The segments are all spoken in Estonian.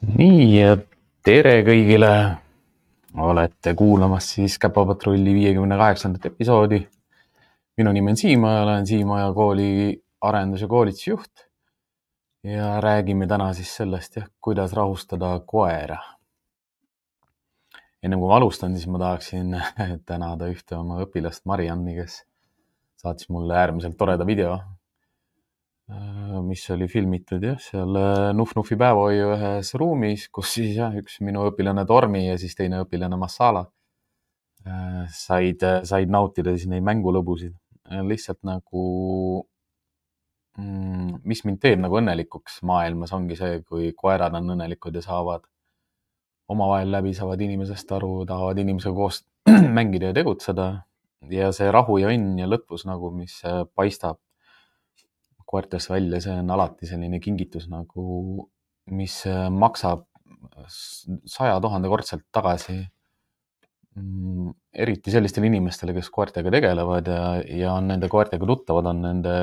Nii, ja tere kõigile! Olete kuulamas siis Käpapatrulli 58. episoodi. Minu nimi on Siima ja olen Siimaja kooli arendus- ja koolitusjuht. Ja räägime täna siis sellest, kuidas rahustada koera. Enne kui ma alustan, siis ma tahaksin tänada ühte oma õpilast Marianni, kes saatis mulle äärmiselt toreda video, mis oli filmitud seal Nuf-Nufi päevahoiu ühes ruumis, kus siis üks minu õpilane Tormi ja siis teine õpilane Massala said nautida siis neid mängulõbusid. Lihtsalt nagu, mis mind teeb nagu õnnelikuks maailmas ongi see, kui koerad on õnnelikud ja saavad omavahel läbi, saavad inimesest aru, tahavad inimesega koos mängida ja tegutseda. Ja see rahu ja õnn ja lõtvus nagu, mis paistab koertest välja, see on alati selline kingitus nagu, mis maksab 100 000 kordselt tagasi. Eriti sellistele inimestele, kes koertega tegelevad ja on nende koertega tuttavad, on nende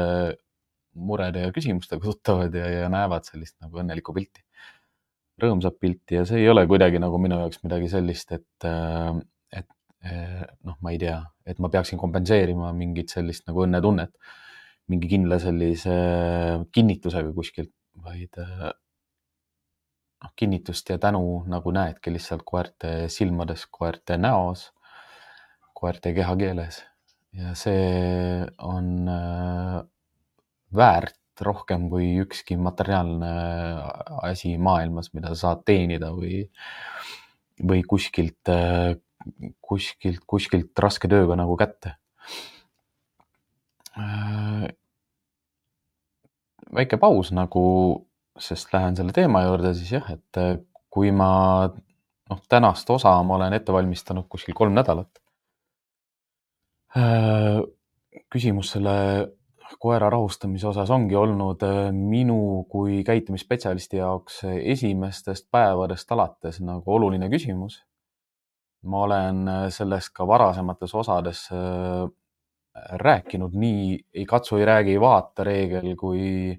murede ja küsimustega tuttavad ja näevad sellist nagu õnnelikku pilti, rõõmsat pilti. Ja see ei ole kuidagi nagu minu jaoks midagi sellist, et noh, ma ei tea, et ma peaksin kompenseerima mingit sellist nagu õnnetunnet mingi kindla sellise kinnitusega kuskilt, vaid kinnitust ja tänu nagu näedki lihtsalt koerte silmades, koerte näos, koerte kehakeeles. Ja see on väärt rohkem kui ükski materiaalne asi maailmas, mida sa saad teenida või kuskilt raske tööga nagu kätte. Väike paus nagu, sest lähen selle teema juurde siis et kui ma tänast osa ma olen ette valmistanud kuskil 3 nädalat. Küsimus selle koera rahustamise osas ongi olnud minu kui käitumisspetsialisti jaoks esimestest päevadest alates nagu oluline küsimus. Ma olen sellest ka varasemates osades rääkinud, nii ei katsu, ei räägi, ei vaata reegel, kui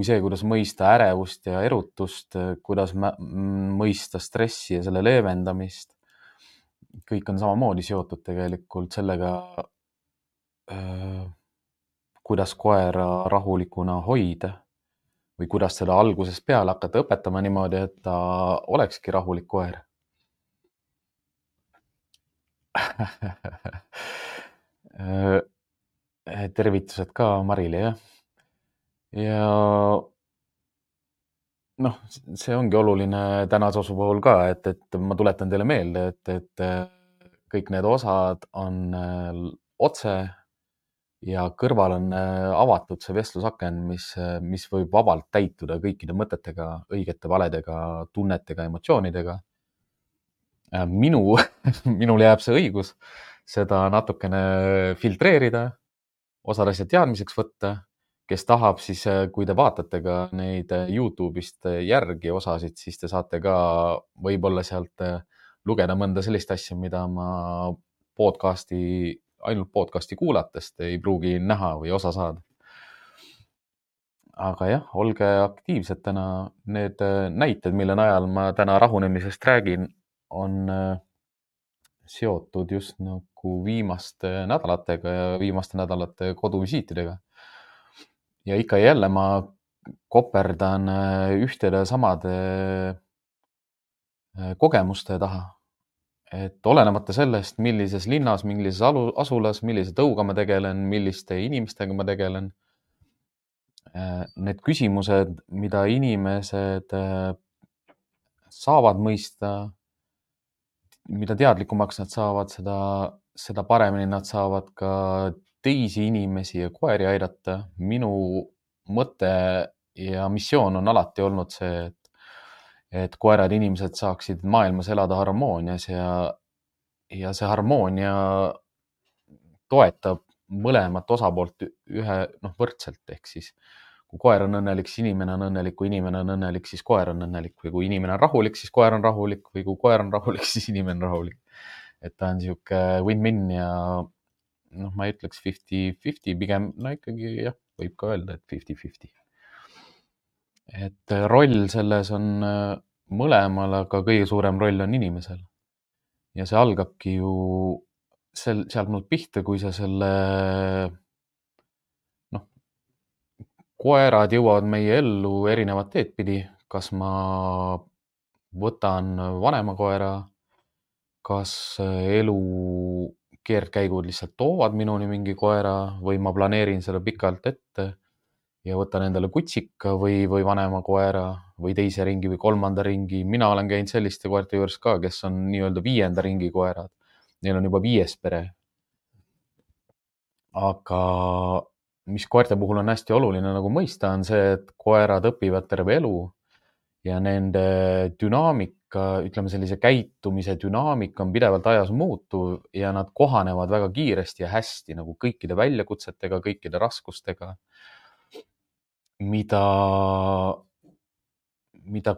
see, kuidas mõista ärevust ja erutust, kuidas mõista stressi ja selle leevendamist. Kõik on samamoodi seotud tegelikult sellega, kuidas koera rahulikuna hoida või kuidas seda algusest peale hakata õpetama niimoodi, et ta olekski rahulik koer. Tervitused ka Marile, jah. Ja see ongi oluline tänase osu puhul ka, et ma tuletan teile meelde, et kõik need osad on otse ja kõrval on avatud see vestlusaken, mis võib vabalt täituda kõikide mõtetega, õigete, valedega, tunnetega, emotsioonidega. Minul jääb see õigus seda natukene filtreerida, osad asjad teadmiseks võtta. Kes tahab, siis kui te vaatate ka neid YouTube'ist järgi osasid, siis te saate ka võib-olla sealt lugeda mõnda sellist asja, mida ma ainult podcasti kuulatest ei pruugi näha või osa saada. Aga jah, olge aktiivsed täna. Need näited, mille najal ma täna rahunemisest räägin, on seotud just nagu viimaste nädalatega ja viimaste nädalate koduvisiitidega. Ja ikka ja jälle ma koperdan ühtede samade kogemuste taha. Et olenemata sellest, millises linnas, millises asulas, millise tõuga ma tegelen, milliste inimestega ma tegelen, need küsimused, mida inimesed saavad mõista, mida teadlikumaks nad saavad, seda paremini nad saavad ka teisi inimesi ja koeri aidata. Minu mõte ja missioon on alati olnud see, et koerad ja inimesed saaksid maailmas elada harmoonias ja see harmoonia toetab mõlemat osapoolt võrdselt. Ehk siis, kui koer on õnnelik, siis inimene on õnnelik, kui inimene on õnnelik, siis koer on õnnelik, või kui inimene on rahulik, siis koer on rahulik, või kui koer on rahulik, siis inimene on rahulik. Et ta on sihuke win-win ja ma ei ütleks 50-50, pigem ikkagi jah, võib ka öelda, et 50-50. Et roll selles on mõlemal, aga kõige suurem roll on inimesel. Ja see algabki ju sealt nüüd pihta, kui sa selle, noh, koerad jõuavad meie ellu erinevat teed pidi. Kas ma võtan vanema koera, kas elu keerdkäigud lihtsalt toovad minuni mingi koera või ma planeerin seda pikalt ette ja võtan endale kutsika või vanema koera või teise ringi või kolmanda ringi. Mina olen käinud selliste koerte juures ka, kes on nii-öelda 5. ringi koerad. Neil on juba 5. pere. Aga mis koerte puhul on hästi oluline nagu mõista, on see, et koerad õpivad terve elu ja nende dünaamika, ütleme sellise käitumise dünaamika on pidevalt ajas muutuv ja nad kohanevad väga kiiresti ja hästi nagu kõikide väljakutsetega, kõikide raskustega, mida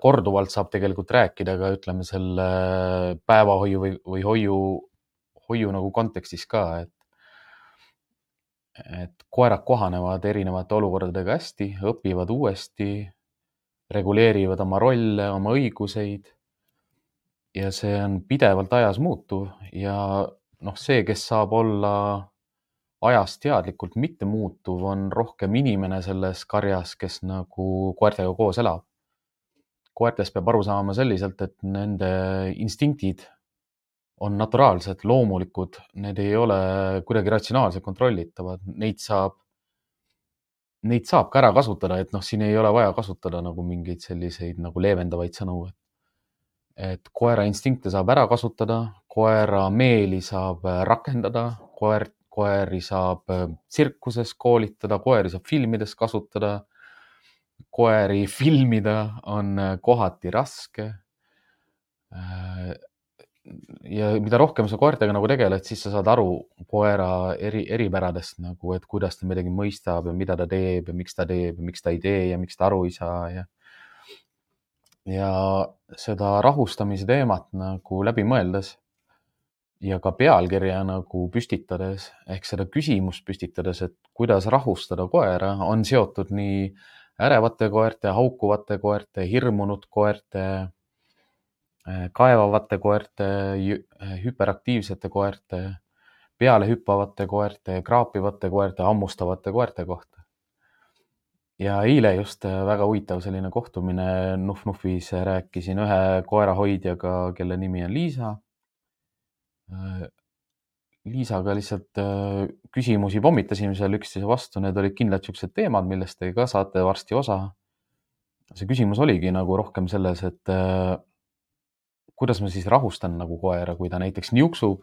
korduvalt saab tegelikult rääkida ka, ütleme, selle päevahoiu või hoiu nagu kontekstis ka, et koerad kohanevad erinevate olukordadega hästi, õpivad uuesti, reguleerivad oma rolle, oma õiguseid ja see on pidevalt ajas muutuv ja see, kes saab olla ajas teadlikult mitte muutuv, on rohkem inimene selles karjas, kes nagu koertega koos elab. Koertest peab aru saama selliselt, et nende instinktid on naturaalsed, loomulikud, need ei ole kuidagi ratsionaalselt kontrollitavad, neid saab ka ära kasutada, et siin ei ole vaja kasutada nagu mingeid selliseid nagu leevendavaid sõnu. Et koera instinkte saab ära kasutada, koera meeli saab rakendada, koeri saab tsirkuses koolitada, koeri saab filmides kasutada. Koeri filmida on kohati raske. Ja mida rohkem sa koertega nagu tegeled, siis sa saad aru koera eripäradest nagu, et kuidas ta midagi mõistab ja mida ta teeb ja miks ta ei tee ja miks ta aru ei saa. Ja seda rahustamise teemat nagu läbi mõeldes ja ka pealkirja nagu püstitades ehk seda küsimust püstitades, et kuidas rahustada koera, on seotud nii ärevate koerte, haukuvate koerte, hirmunud koerte, kaevavate koerte, hüperaktiivsete koerte, pealehüppavate koerte, kraapivate koerte, hammustavate koerte kohta. Ja eile just väga huvitav selline kohtumine Nuf-Nufis, rääkisin ühe koerahoidjaga, kelle nimi on Liisa. Liisaga lihtsalt küsimusi pommitasime seal üksteise vastu, need olid kindlalt siuksed teemad, millest te ka saate varsti osa. See küsimus oligi nagu rohkem selles, et kuidas ma siis rahustan nagu koera, kui ta näiteks niuksub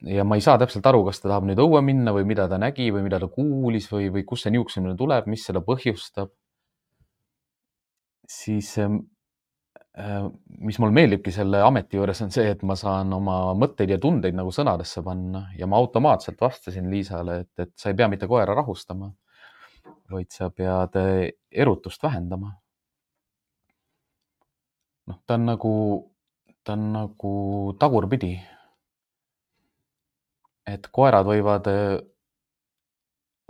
ja ma ei saa täpselt aru, kas ta tahab nüüd õue minna või mida ta nägi või mida ta kuulis või kust see niuksumine tuleb, mis seda põhjustab. Siis mis mul meeldibki selle ameti juures on see, et ma saan oma mõtteid ja tundeid nagu sõnadesse panna ja ma automaatselt vastasin Liisale, et sa ei pea mitte koera rahustama, vaid sa pead erutust vähendama. Ta on nagu tagurpidi. Et koerad võivad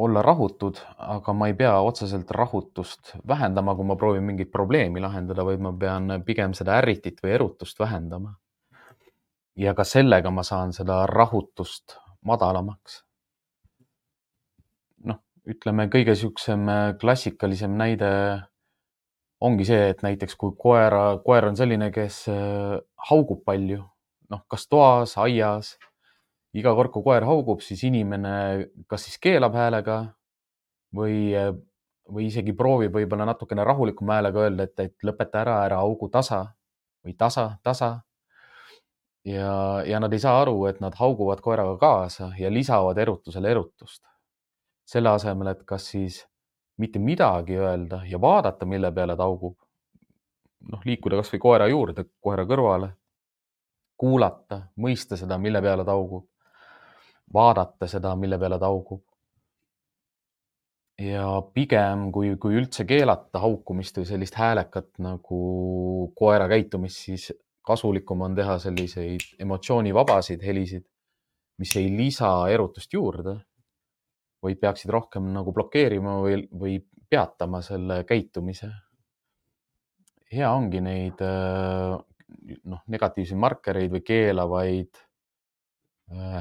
olla rahutud, aga ma ei pea otseselt rahutust vähendama, kui ma proovin mingit probleemi lahendada, vaid ma pean pigem seda ärritit või erutust vähendama. Ja ka sellega ma saan seda rahutust madalamaks. Ütleme, kõige siuksem klassikalisem näide ongi see, et näiteks kui koer on selline, kes haugub palju, kas toas, aias, iga kord, kui koer haugub, siis inimene kas siis keelab häälega või isegi proovib võib-olla natukene rahulikuma häälega öelda, et lõpeta ära haugu tasa või tasa. Ja nad ei saa aru, et nad hauguvad koeraga kaasa ja lisavad erutusele erutust. Selle asemel, et kas siis mitte midagi öelda ja vaadata, mille peale ta haugub, liikuda kas või koera juurde, koera kõrvale, kuulata, mõista seda, mille peale ta haugub, vaadata seda, mille peale ta haugub. Ja pigem, kui üldse keelata haukumist või sellist häälekat nagu koera käitumist, siis kasulikum on teha selliseid emotsioonivabasid helisid, mis ei lisa erutust juurde, vaid peaksid rohkem nagu blokeerima või peatama selle käitumise. hea ongi neid negatiivseid markereid või keelavaid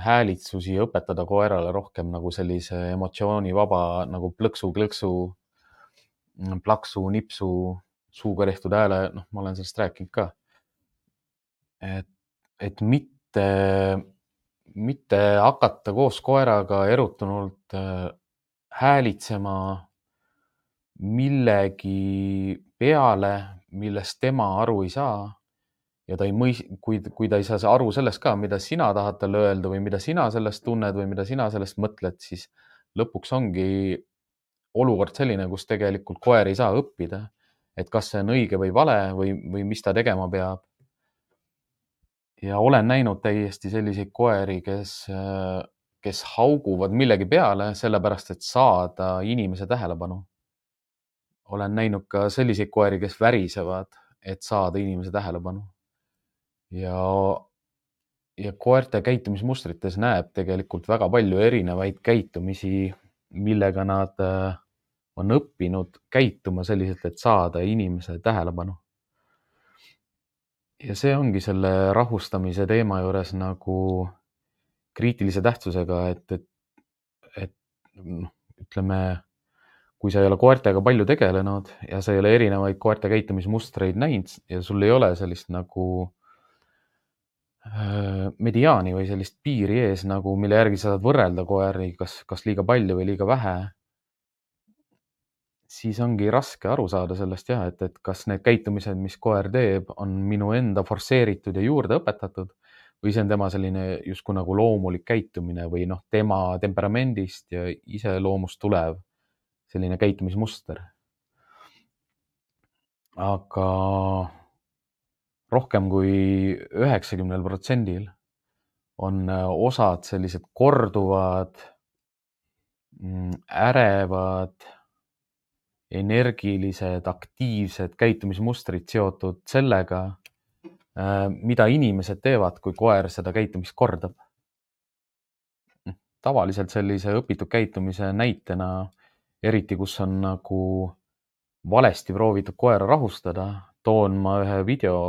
häälitsusi õpetada koerale rohkem nagu sellise emotsioonivaba nagu plõksu-klõksu, plaksu, nipsu, suuga tehtud hääle, ma olen sellest rääkinud ka. Et mitte hakata koos koeraga erutunult häälitsema millegi peale, millest tema aru ei saa ja ta ei kui ta ei saa aru sellest ka, mida sina tahad talle öelda või mida sina sellest tunned või mida sina sellest mõtled, siis lõpuks ongi olukord selline, kus tegelikult koer ei saa õppida, et kas see on õige või vale või mis ta tegema peab. Ja olen näinud täiesti selliseid koeri, kes hauguvad millegi peale sellepärast, et saada inimese tähelepanu. Olen näinud ka selliseid koeri, kes värisevad, et saada inimese tähelepanu. Ja koerte käitumismustrites näeb tegelikult väga palju erinevaid käitumisi, millega nad on õppinud käituma selliselt, et saada inimese tähelepanu. Ja see ongi selle rahustamise teema juures nagu kriitilise tähtsusega, et ütleme, kui sa ei ole koertega palju tegelenud ja sa ei ole erinevaid koerte käitumismustreid näinud ja sul ei ole sellist nagu mediaani või sellist piiri ees, nagu mille järgi sa saad võrrelda koeri, kas liiga palju või liiga vähe, siis ongi raske aru saada sellest jah, et kas need käitumised, mis koer teeb, on minu enda forsseeritud ja juurde õpetatud või see on tema selline justkui nagu loomulik käitumine või tema temperamendist ja iseloomust tulev selline käitumismuster. Aga rohkem kui 90% on osad sellised korduvad, ärevad, energilised, aktiivsed käitumismustrid seotud sellega, mida inimesed teevad, kui koer seda käitumist kordab. Tavaliselt sellise õpitud käitumise näitena, eriti kus on nagu valesti proovitud koera rahustada, toon ma ühe video,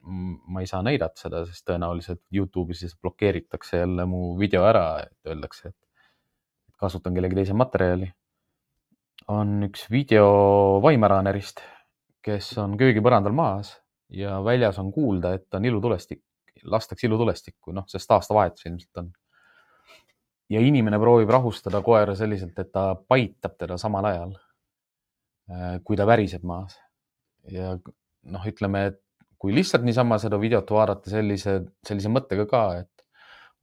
ma ei saa näidata seda, sest tõenäoliselt YouTube'is siis blokeeritakse jälle mu video ära, et öeldakse, et kasutan kellegi teise materjali. On üks video Weimaraanerist, kes on köögipõrandal maas ja väljas on kuulda, et on ilutulestik, lastakse ilutulestikku, sest aastavahetus ilmselt on. Ja inimene proovib rahustada koera selliselt, et ta paitab teda samal ajal, kui ta väriseb maas. Ja ütleme, et kui lihtsalt niisama seda videot vaadata sellise mõttega ka, et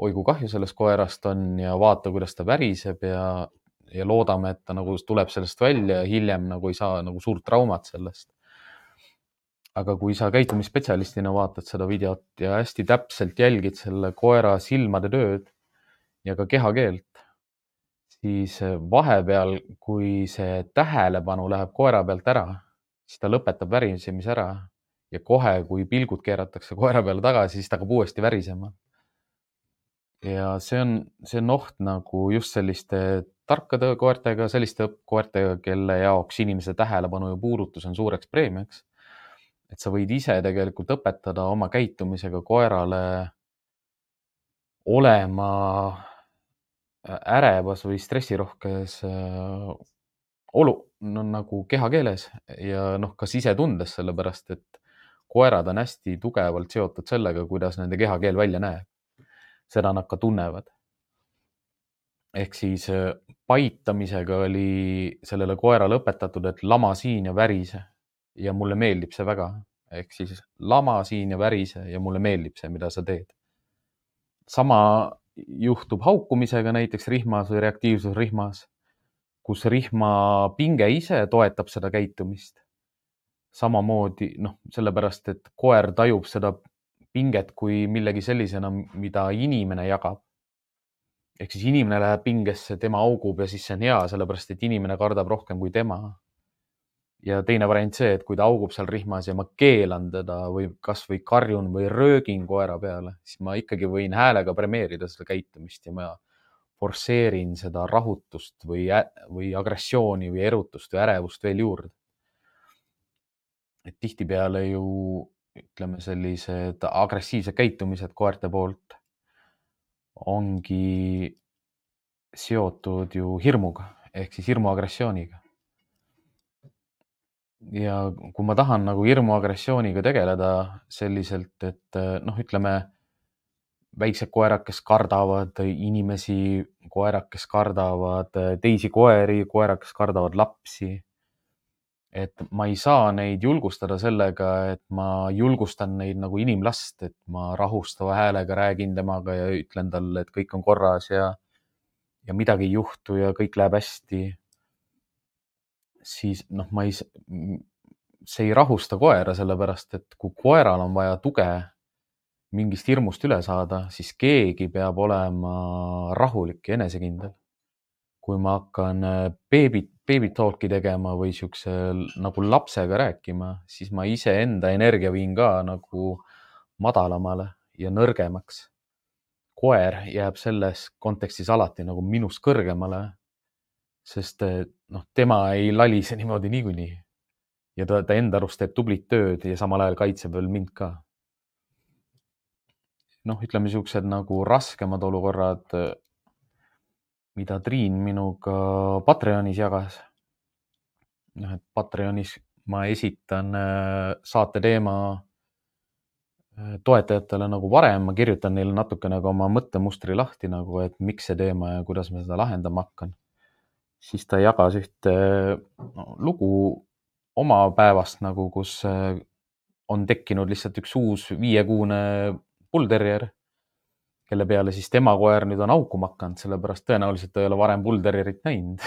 oi kui kahju sellest koerast on ja vaata, kuidas ta väriseb ja loodame, et ta nagu tuleb sellest välja ja hiljem nagu ei saa nagu suurt traumat sellest. Aga kui sa käitumisspetsialistina vaatad seda videot ja hästi täpselt jälgid selle koera silmade tööd ja ka kehakeelt, siis vahepeal, kui see tähelepanu läheb koera pealt ära, siis ta lõpetab värisemise ära ja kohe, kui pilgud keeratakse koera peale tagasi, siis ta hakkab uuesti värisema. Ja see on oht nagu just selliste tarkade koertega, selliste koertega, kelle jaoks inimese tähelepanu ja puudutus on suureks preemiaks. Et sa võid ise tegelikult õpetada oma käitumisega koerale olema ärevas või stressirohkes nagu kehakeeles ja ka sisetundes, sellepärast et koerad on hästi tugevalt seotud sellega, kuidas nende kehakeel välja näeb. Seda nad ka tunnevad. Ehk siis paitamisega oli sellele koerale õpetatud, et lama siin ja värise ja mulle meeldib see väga. Ehk siis lama siin ja värise ja mulle meeldib see, mida sa teed. Sama juhtub haukumisega näiteks rihmas või reaktiivsusrihmas, kus rihma pinge ise toetab seda käitumist. Samamoodi, sellepärast, et koer tajub seda pinget kui millegi sellisena, mida inimene jagab. Ehk siis inimene läheb pingesse, tema augub ja siis see on hea, sellepärast, et inimene kardab rohkem kui tema. Ja teine variant see, et kui ta augub seal rihmas ja ma keelan teda või kas või karjun või röögin koera peale, siis ma ikkagi võin häälega premeerida seda käitumist ja ma forsseerin seda rahutust või agressiooni või erutust või ärevust veel juurde. et tihtipeale ju ütleme, sellised agressiivsed käitumised koerte poolt ongi seotud ju hirmuga ehk siis hirmuagressiooniga. Ja kui ma tahan nagu hirmuagressiooniga tegeleda selliselt, et ütleme, väiksed koerad, kes kardavad inimesi, koerad, kes kardavad teisi koeri, koerad, kes kardavad lapsi. Et ma ei saa neid julgustada sellega, et ma julgustan neid nagu inimlast, et ma rahustava häälega räägin temaga ja ütlen talle, et kõik on korras ja midagi ei juhtu ja kõik läheb hästi. Siis see ei rahusta koera, sellepärast et kui koeral on vaja tuge mingist hirmust üle saada, siis keegi peab olema rahulik ja enesekindel. Kui ma hakkan baby talk'i tegema või siukse nagu lapsega rääkima, siis ma iseenda energia viin ka nagu madalamale ja nõrgemaks. Koer jääb selles kontekstis alati nagu minust kõrgemale, sest tema ei lalise niimoodi niikuinii. Ja ta enda arust teeb tublit tööd ja samal ajal kaitseb veel mind ka. Ütleme siuksed nagu raskemad olukorrad, mida Triin minuga Patreonis jagas. Et Patreonis ma esitan saate teema toetajatele nagu varem, ma kirjutan neile natukene ka oma mõttemustri lahti nagu, et miks see teema ja kuidas ma seda lahendama hakkan. Siis ta jagas ühte lugu oma päevast nagu, kus on tekkinud lihtsalt üks uus 5-kuune bullterrier, kelle peale siis tema koer nüüd on haukuma hakanud, sellepärast tõenäoliselt ta ei ole varem bullterrierit näinud.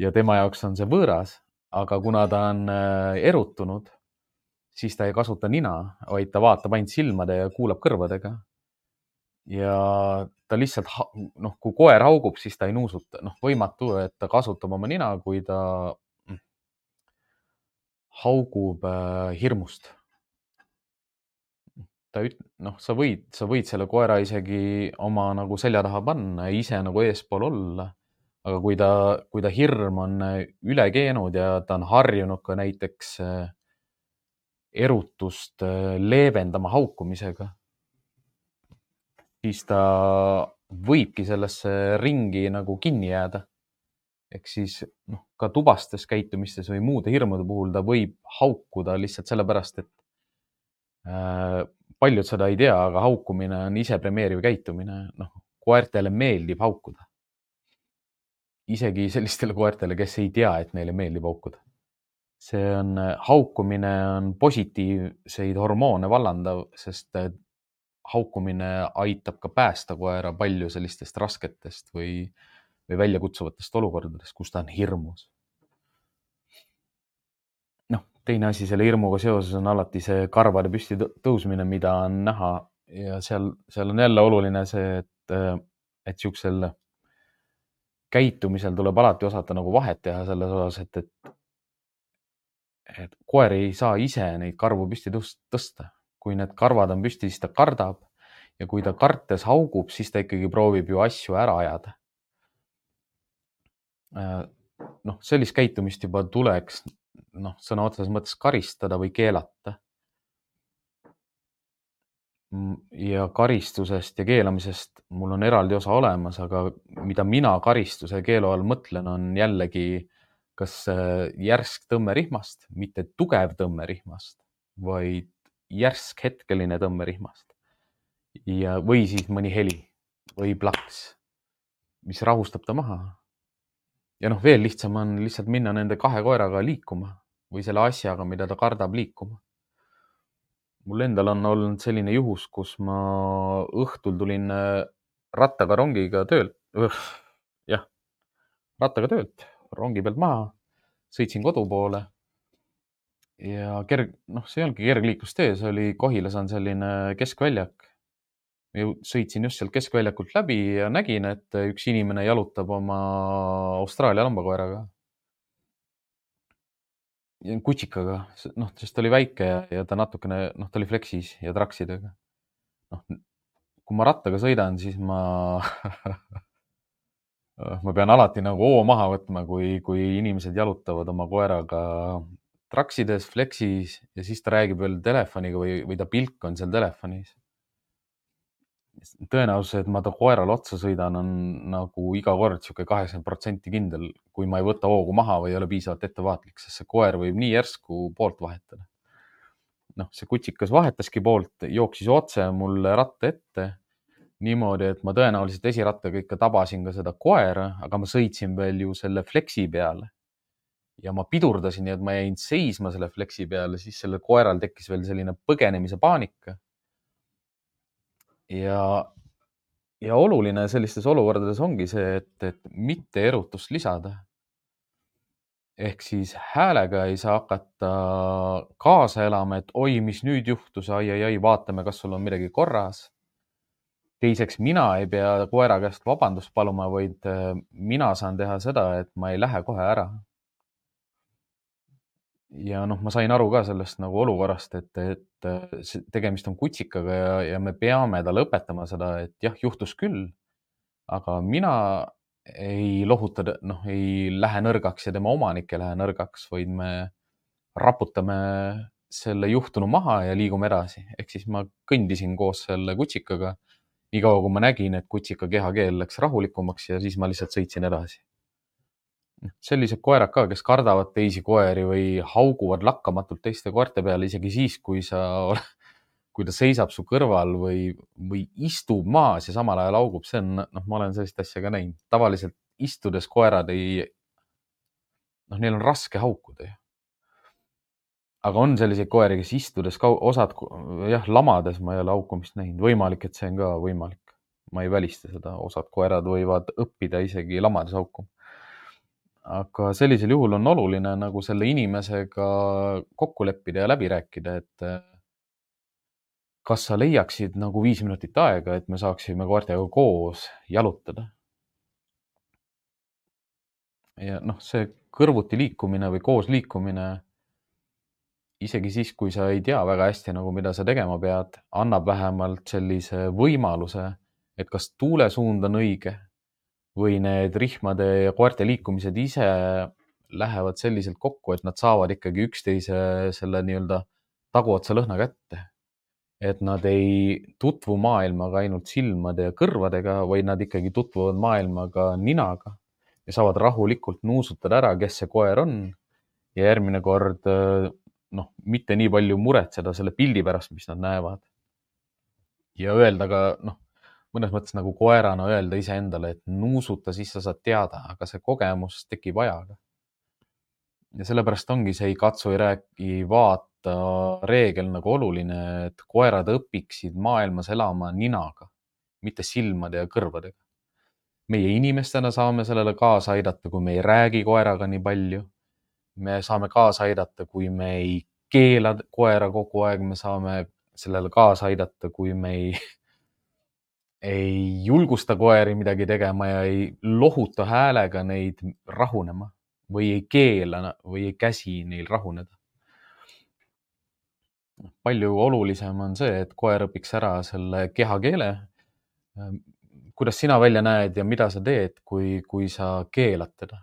Ja tema jaoks on see võõras, aga kuna ta on erutunud, siis ta ei kasuta nina, vaid ta vaatab ainult silmade ja kuulab kõrvadega. Ja ta lihtsalt, kui koer haugub, siis ta ei nuusuta. Võimatu, et ta kasutab oma nina, kui ta haugub hirmust. Sa võid selle koera isegi oma nagu selja taha panna ja ise nagu eespool olla. Aga kui ta hirm on üle keenud ja ta on harjunud ka näiteks erutust leevendama haukumisega, siis ta võibki sellesse ringi nagu kinni jääda. Ehk siis ka tubastes käitumistes või muude hirmude puhul ta võib haukuda lihtsalt sellepärast, et paljud seda ei tea, aga haukumine on isepremeeriv käitumine. Koertele meeldib haukuda. Isegi sellistele koertele, kes ei tea, et neile meeldib haukuda. Haukumine on positiivseid hormoone vallandav, sest haukumine aitab ka päästa koera palju sellistest rasketest või väljakutsuvatest olukordadest, kus ta on hirmus. Teine asi selle hirmuga seoses on alati see karvade püsti tõusmine, mida on näha ja seal on jälle oluline see, et siuksel käitumisel tuleb alati osata nagu vahet teha selles osas, et koer ei saa ise neid karvu püsti tõsta. Kui need karvad on püsti, siis ta kardab ja kui ta kartes haugub, siis ta ikkagi proovib ju asju ära ajada. Sellist käitumist juba tuleks sõna otseses mõttes karistada või keelata. Ja karistusest ja keelamisest mul on eraldi osa olemas, aga mida mina karistuse ja keelu all mõtlen, on jällegi kas järsk tõmmerihmast, mitte tugev tõmmerihmast, vaid järsk hetkeline tõmmerihmast. Või siis mõni heli või plaks, mis rahustab ta maha. Ja veel lihtsam on lihtsalt minna nende 2 koeraga liikuma või selle asjaga, mida ta kardab, liikuma. Mul endal on olnud selline juhus, kus ma õhtul tulin rattaga rongiga töölt. Rattaga töölt, rongi pealt maha, sõitsin kodu poole ja see ei olnudki kergliiklustee, see oli Kohilas on selline keskväljak. Sõitsin just sealt keskväljakult läbi ja nägin, et üks inimene jalutab oma Austraalia lambakoeraga. Kutsikaga, sest ta oli väike ja ta natukene, ta oli fleksis ja traksidega. Kui ma rattaga sõidan, siis ma pean alati nagu hoo maha võtma, kui inimesed jalutavad oma koeraga traksides, flexis ja siis ta räägib veel telefoniga või ta pilk on seal telefonis. Tõenäosus, et ma ta koerale otsa sõidan, on nagu iga kord sihuke 80% kindel, kui ma ei võta hoogu maha või ei ole piisavalt ettevaatlik, sest see koer võib nii järsku poolt vahetada. Noh, see kutsikas vahetaski poolt, jooksis otse mulle ratta ette niimoodi, et ma tõenäoliselt esirattaga ikka tabasin ka seda koera, aga ma sõitsin veel ju selle flexi peale. Ja ma pidurdasin, nii et ma jäin seisma selle flexi peale, siis sellel koeral tekkis veel selline põgenemise paanika. Ja oluline sellistes olukordades ongi see, et mitte erutust lisada. Ehk siis häälega ei saa hakata kaasa elama, et oi, mis nüüd juhtus, ai, vaatame, kas sul on midagi korras. Teiseks, mina ei pea koera käest vabandust paluma, vaid mina saan teha seda, et ma ei lähe kohe ära. Ja noh, ma sain aru ka sellest nagu olukorrast, et tegemist on kutsikaga ja me peame talle õpetama seda, et jah, juhtus küll, aga mina ei lohuta, noh, ei lähe nõrgaks ja tema omanik ei lähe nõrgaks, vaid me raputame selle juhtunu maha ja liigume edasi. Ehk siis ma kõndisin koos selle kutsikaga, niikaua kui ma nägin, et kutsika kehakeel läks rahulikumaks ja siis ma lihtsalt sõitsin edasi. Sellised koerad ka, kes kardavad teisi koeri või hauguvad lakkamatult teiste koerte peale, isegi siis, kui ta seisab su kõrval või istub maas ja samal ajal haugub, see on, noh, ma olen sellist asja ka näinud. Tavaliselt istudes koerad neil on raske haukuda ju. Aga on selliseid koeri, kes istudes osad, jah, lamades ma ei ole haukumist näinud. Võimalik, et see on ka võimalik. Ma ei välista seda. Osad koerad võivad õppida isegi lamades haukuma. Aga sellisel juhul on oluline nagu selle inimesega kokku leppida ja läbi rääkida, et kas sa leiaksid nagu 5 minutit aega, et me saaksime koertega koos jalutada. Ja noh, see kõrvuti liikumine või koos liikumine, isegi siis, kui sa ei tea väga hästi nagu, mida sa tegema pead, annab vähemalt sellise võimaluse, et kas tuulesuund on õige või need rihmade ja koerte liikumised ise lähevad selliselt kokku, et nad saavad ikkagi üksteise selle nii-öelda taguotsa lõhna kätte. Et nad ei tutvu maailmaga ainult silmade ja kõrvadega, vaid nad ikkagi tutvuvad maailmaga ninaga ja saavad rahulikult nuusutada ära, kes see koer on. Ja järgmine kord, noh, mitte nii palju muretseda selle pildi pärast, mis nad näevad. Ja öelda ka, noh, mõnes mõttes nagu koerana öelda iseendale, et nuusuta, siis sa saad teada, aga see kogemus tekib ajaga. Ja sellepärast ongi see ei katsu, ei räägi, vaata reegel nagu oluline, et koerad õpiksid maailmas elama ninaga, mitte silmade ja kõrvadega. Meie inimestena saame sellele kaasa aidata, kui me ei räägi koeraga nii palju. Me saame kaasa aidata, kui me ei keela koera kogu aeg, me saame sellele kaasa aidata, kui me ei julgusta koeri midagi tegema ja ei lohuta häälega neid rahunema või ei keela või ei käsi neil rahuneda. Palju olulisem on see, et koer õpiks ära selle kehakeele, kuidas sina välja näed ja mida sa teed, kui sa keelad teda.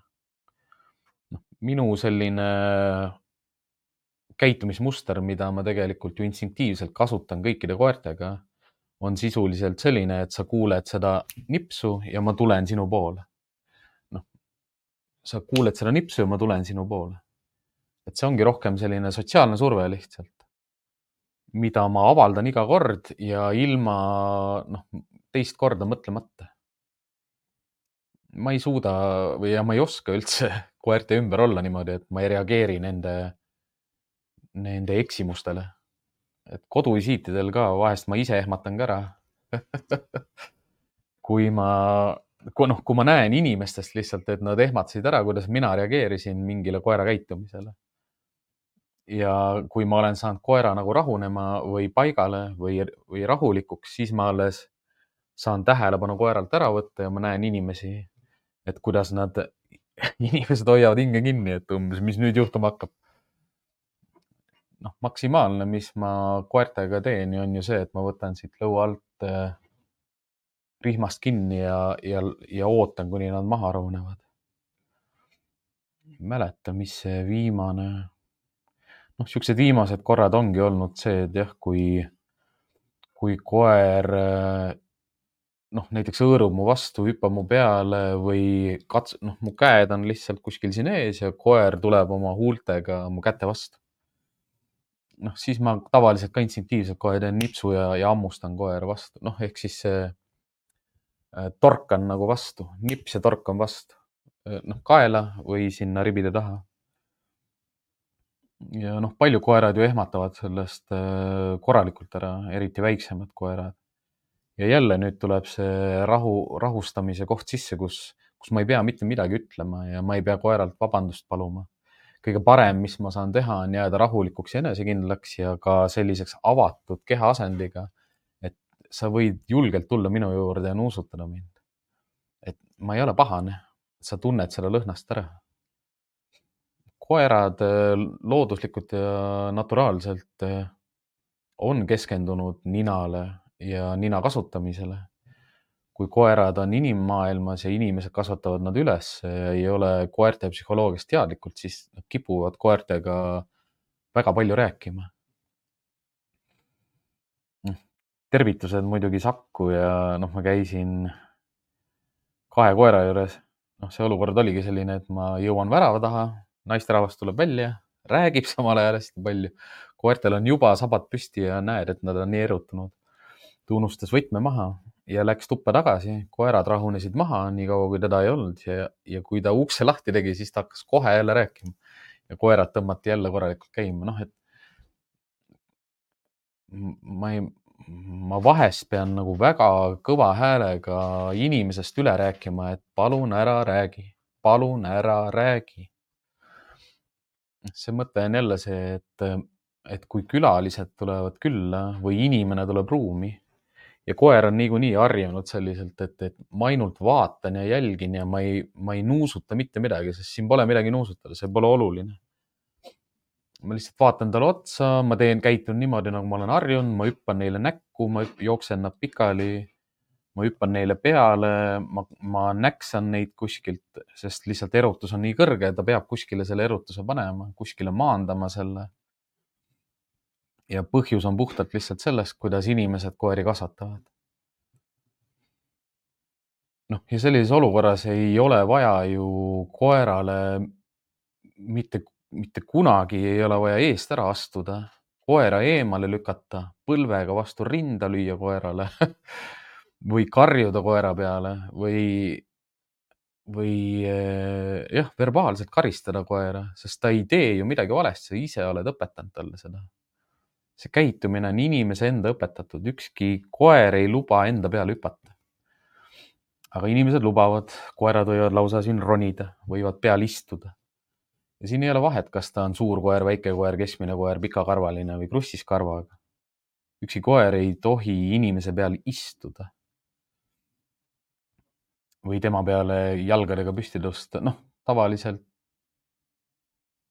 Minu selline käitumismuster, mida ma tegelikult ju instinktiivselt kasutan kõikide koertega, on sisuliselt selline, et sa kuuled seda nipsu ja ma tulen sinu poole. Noh, sa kuuled seda nipsu ja ma tulen sinu poole. Et see ongi rohkem selline sotsiaalne surve lihtsalt, mida ma avaldan iga kord ja ilma teist korda mõtlemata. Ma ei suuda või ma ei oska üldse koerte ümber olla niimoodi, et ma ei reageeri nende eksimustele. Et koduvisiitidel ka vahest ma ise ehmatan ka ära. Kui ma näen inimestest lihtsalt, et nad ehmatasid ära, kuidas mina reageerisin mingile koera käitumisele. Ja kui ma olen saanud koera nagu rahunema või paigale või rahulikuks, siis ma alles saan tähelepanu koeralt ära võtta ja ma näen inimesi, et kuidas inimesed hoiavad hinge kinni, et umbes, mis nüüd juhtuma hakkab. Maksimaalne, mis ma koertega teen, on ju see, et ma võtan siit lõua alt rihmast kinni ja ootan, kuni nad maha rahunevad. Ei mäleta, mis see viimane noh, siuksed viimased korrad ongi olnud see, et jah, kui koer noh, näiteks hõõrub mu vastu, hüppab mu peale või noh, mu käed on lihtsalt kuskil siin ees ja koer tuleb oma huultega mu käte vastu. noh, siis ma tavaliselt ka instinktiivselt kohe teen nipsu ja hammustan koera vastu, noh, ehk siis torkan nagu vastu, nips ja torkan vastu, noh, kaela või sinna ribide taha. ja noh, paljud koerad ju ehmatavad sellest korralikult ära, eriti väiksemad koerad. ja jälle nüüd tuleb see rahustamise koht sisse, kus ma ei pea mitte midagi ütlema ja ma ei pea koeralt vabandust paluma. kõige parem, mis ma saan teha, on jääda rahulikuks ja enesekindlaks ja ka selliseks avatud kehaasendiga, et sa võid julgelt tulla minu juurde ja nuusutada mind. et ma ei ole pahane, sa tunned seda lõhnast ära. koerad looduslikult ja naturaalselt on keskendunud ninale ja nina kasutamisele. kui koerad on inimmaailmas ja inimesed kasvatavad nad üles ja ei ole koerte psühholoogiast teadlikult, siis nad kipuvad koertega väga palju rääkima. tervitused muidugi Sakku ja noh, ma käisin 2 koera juures. noh, see olukord oligi selline, et ma jõuan värava taha, naisterahvas tuleb välja, räägib samal ajal hästi palju. koertel on juba sabad püsti ja näed, et nad on nii erutunud. ta unustas võtme maha ja läks tuppa tagasi. koerad rahunesid maha nii kaua, kui teda ei olnud ja kui ta ukse lahti tegi, siis ta hakkas kohe jälle rääkima. ja koerad tõmmati jälle korralikult käima. noh, et ma vahest pean nagu väga kõva häälega inimesest üle rääkima, et palun ära räägi, palun ära räägi. see mõte on jälle see, et kui külalised tulevad külla või inimene tuleb ruumi ja koer on niikuinii harjunud selliselt, et ma ainult vaatan ja jälgin ja ma ei nuusuta mitte midagi, sest siin pole midagi nuusutada, see pole oluline. ma lihtsalt vaatan talle otsa, ma käitun niimoodi, nagu ma olen harjunud, ma hüppan neile näkku, ma jooksen nad pikali, ma hüppan neile peale, ma näksan neid kuskilt, sest lihtsalt erutus on nii kõrge, ta peab kuskile selle erutuse panema, kuskile maandama selle. ja põhjus on puhtalt lihtsalt sellest, kuidas inimesed koeri kasvatavad. noh, ja sellises olukorras ei ole vaja ju koerale mitte kunagi ei ole vaja eest ära astuda, koera eemale lükata, põlvega vastu rinda lüüa koerale või karjuda koera peale või jah, verbaalselt karistada koera, sest ta ei tee ju midagi valesti, sa ise oled õpetanud talle seda. see käitumine on inimese enda õpetatud, ükski koer ei luba enda peale hüpata. aga inimesed lubavad, koerad võivad lausa siin ronida, võivad peal istuda. ja siin ei ole vahet, kas ta on suur koer, väike koer, keskmine koer, pikakarvaline või krussis karvaga. ükski koer ei tohi inimese peal istuda või tema peale jalgadega püsti tõsta. noh, tavaliselt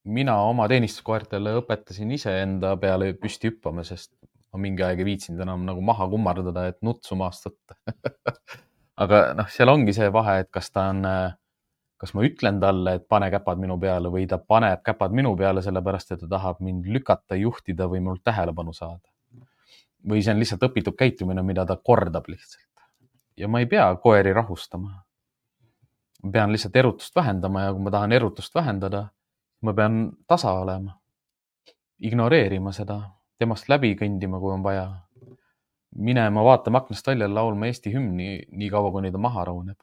mina oma teenistuskoertele õpetasin iseenda peale püsti hüppama, sest ma mingi aeg ei viitsinud enam nagu maha kummardada, et nutsu maast võtta aga noh, seal ongi see vahe, et kas ma ütlen talle, et pane käpad minu peale või ta paneb käpad minu peale, sellepärast et ta tahab mind lükata, juhtida või minult tähelepanu saada. või see on lihtsalt õpitud käitumine, mida ta kordab lihtsalt. ja ma ei pea koeri rahustama. ma pean lihtsalt erutust vähendama ja kui ma tahan erutust vähendada, ma pean tasa olema, ignoreerima seda, temast läbi kõndima, kui on vaja, minema vaatama aknast välja, laulma Eesti hümni nii kaua, kuni ta maha rahuneb.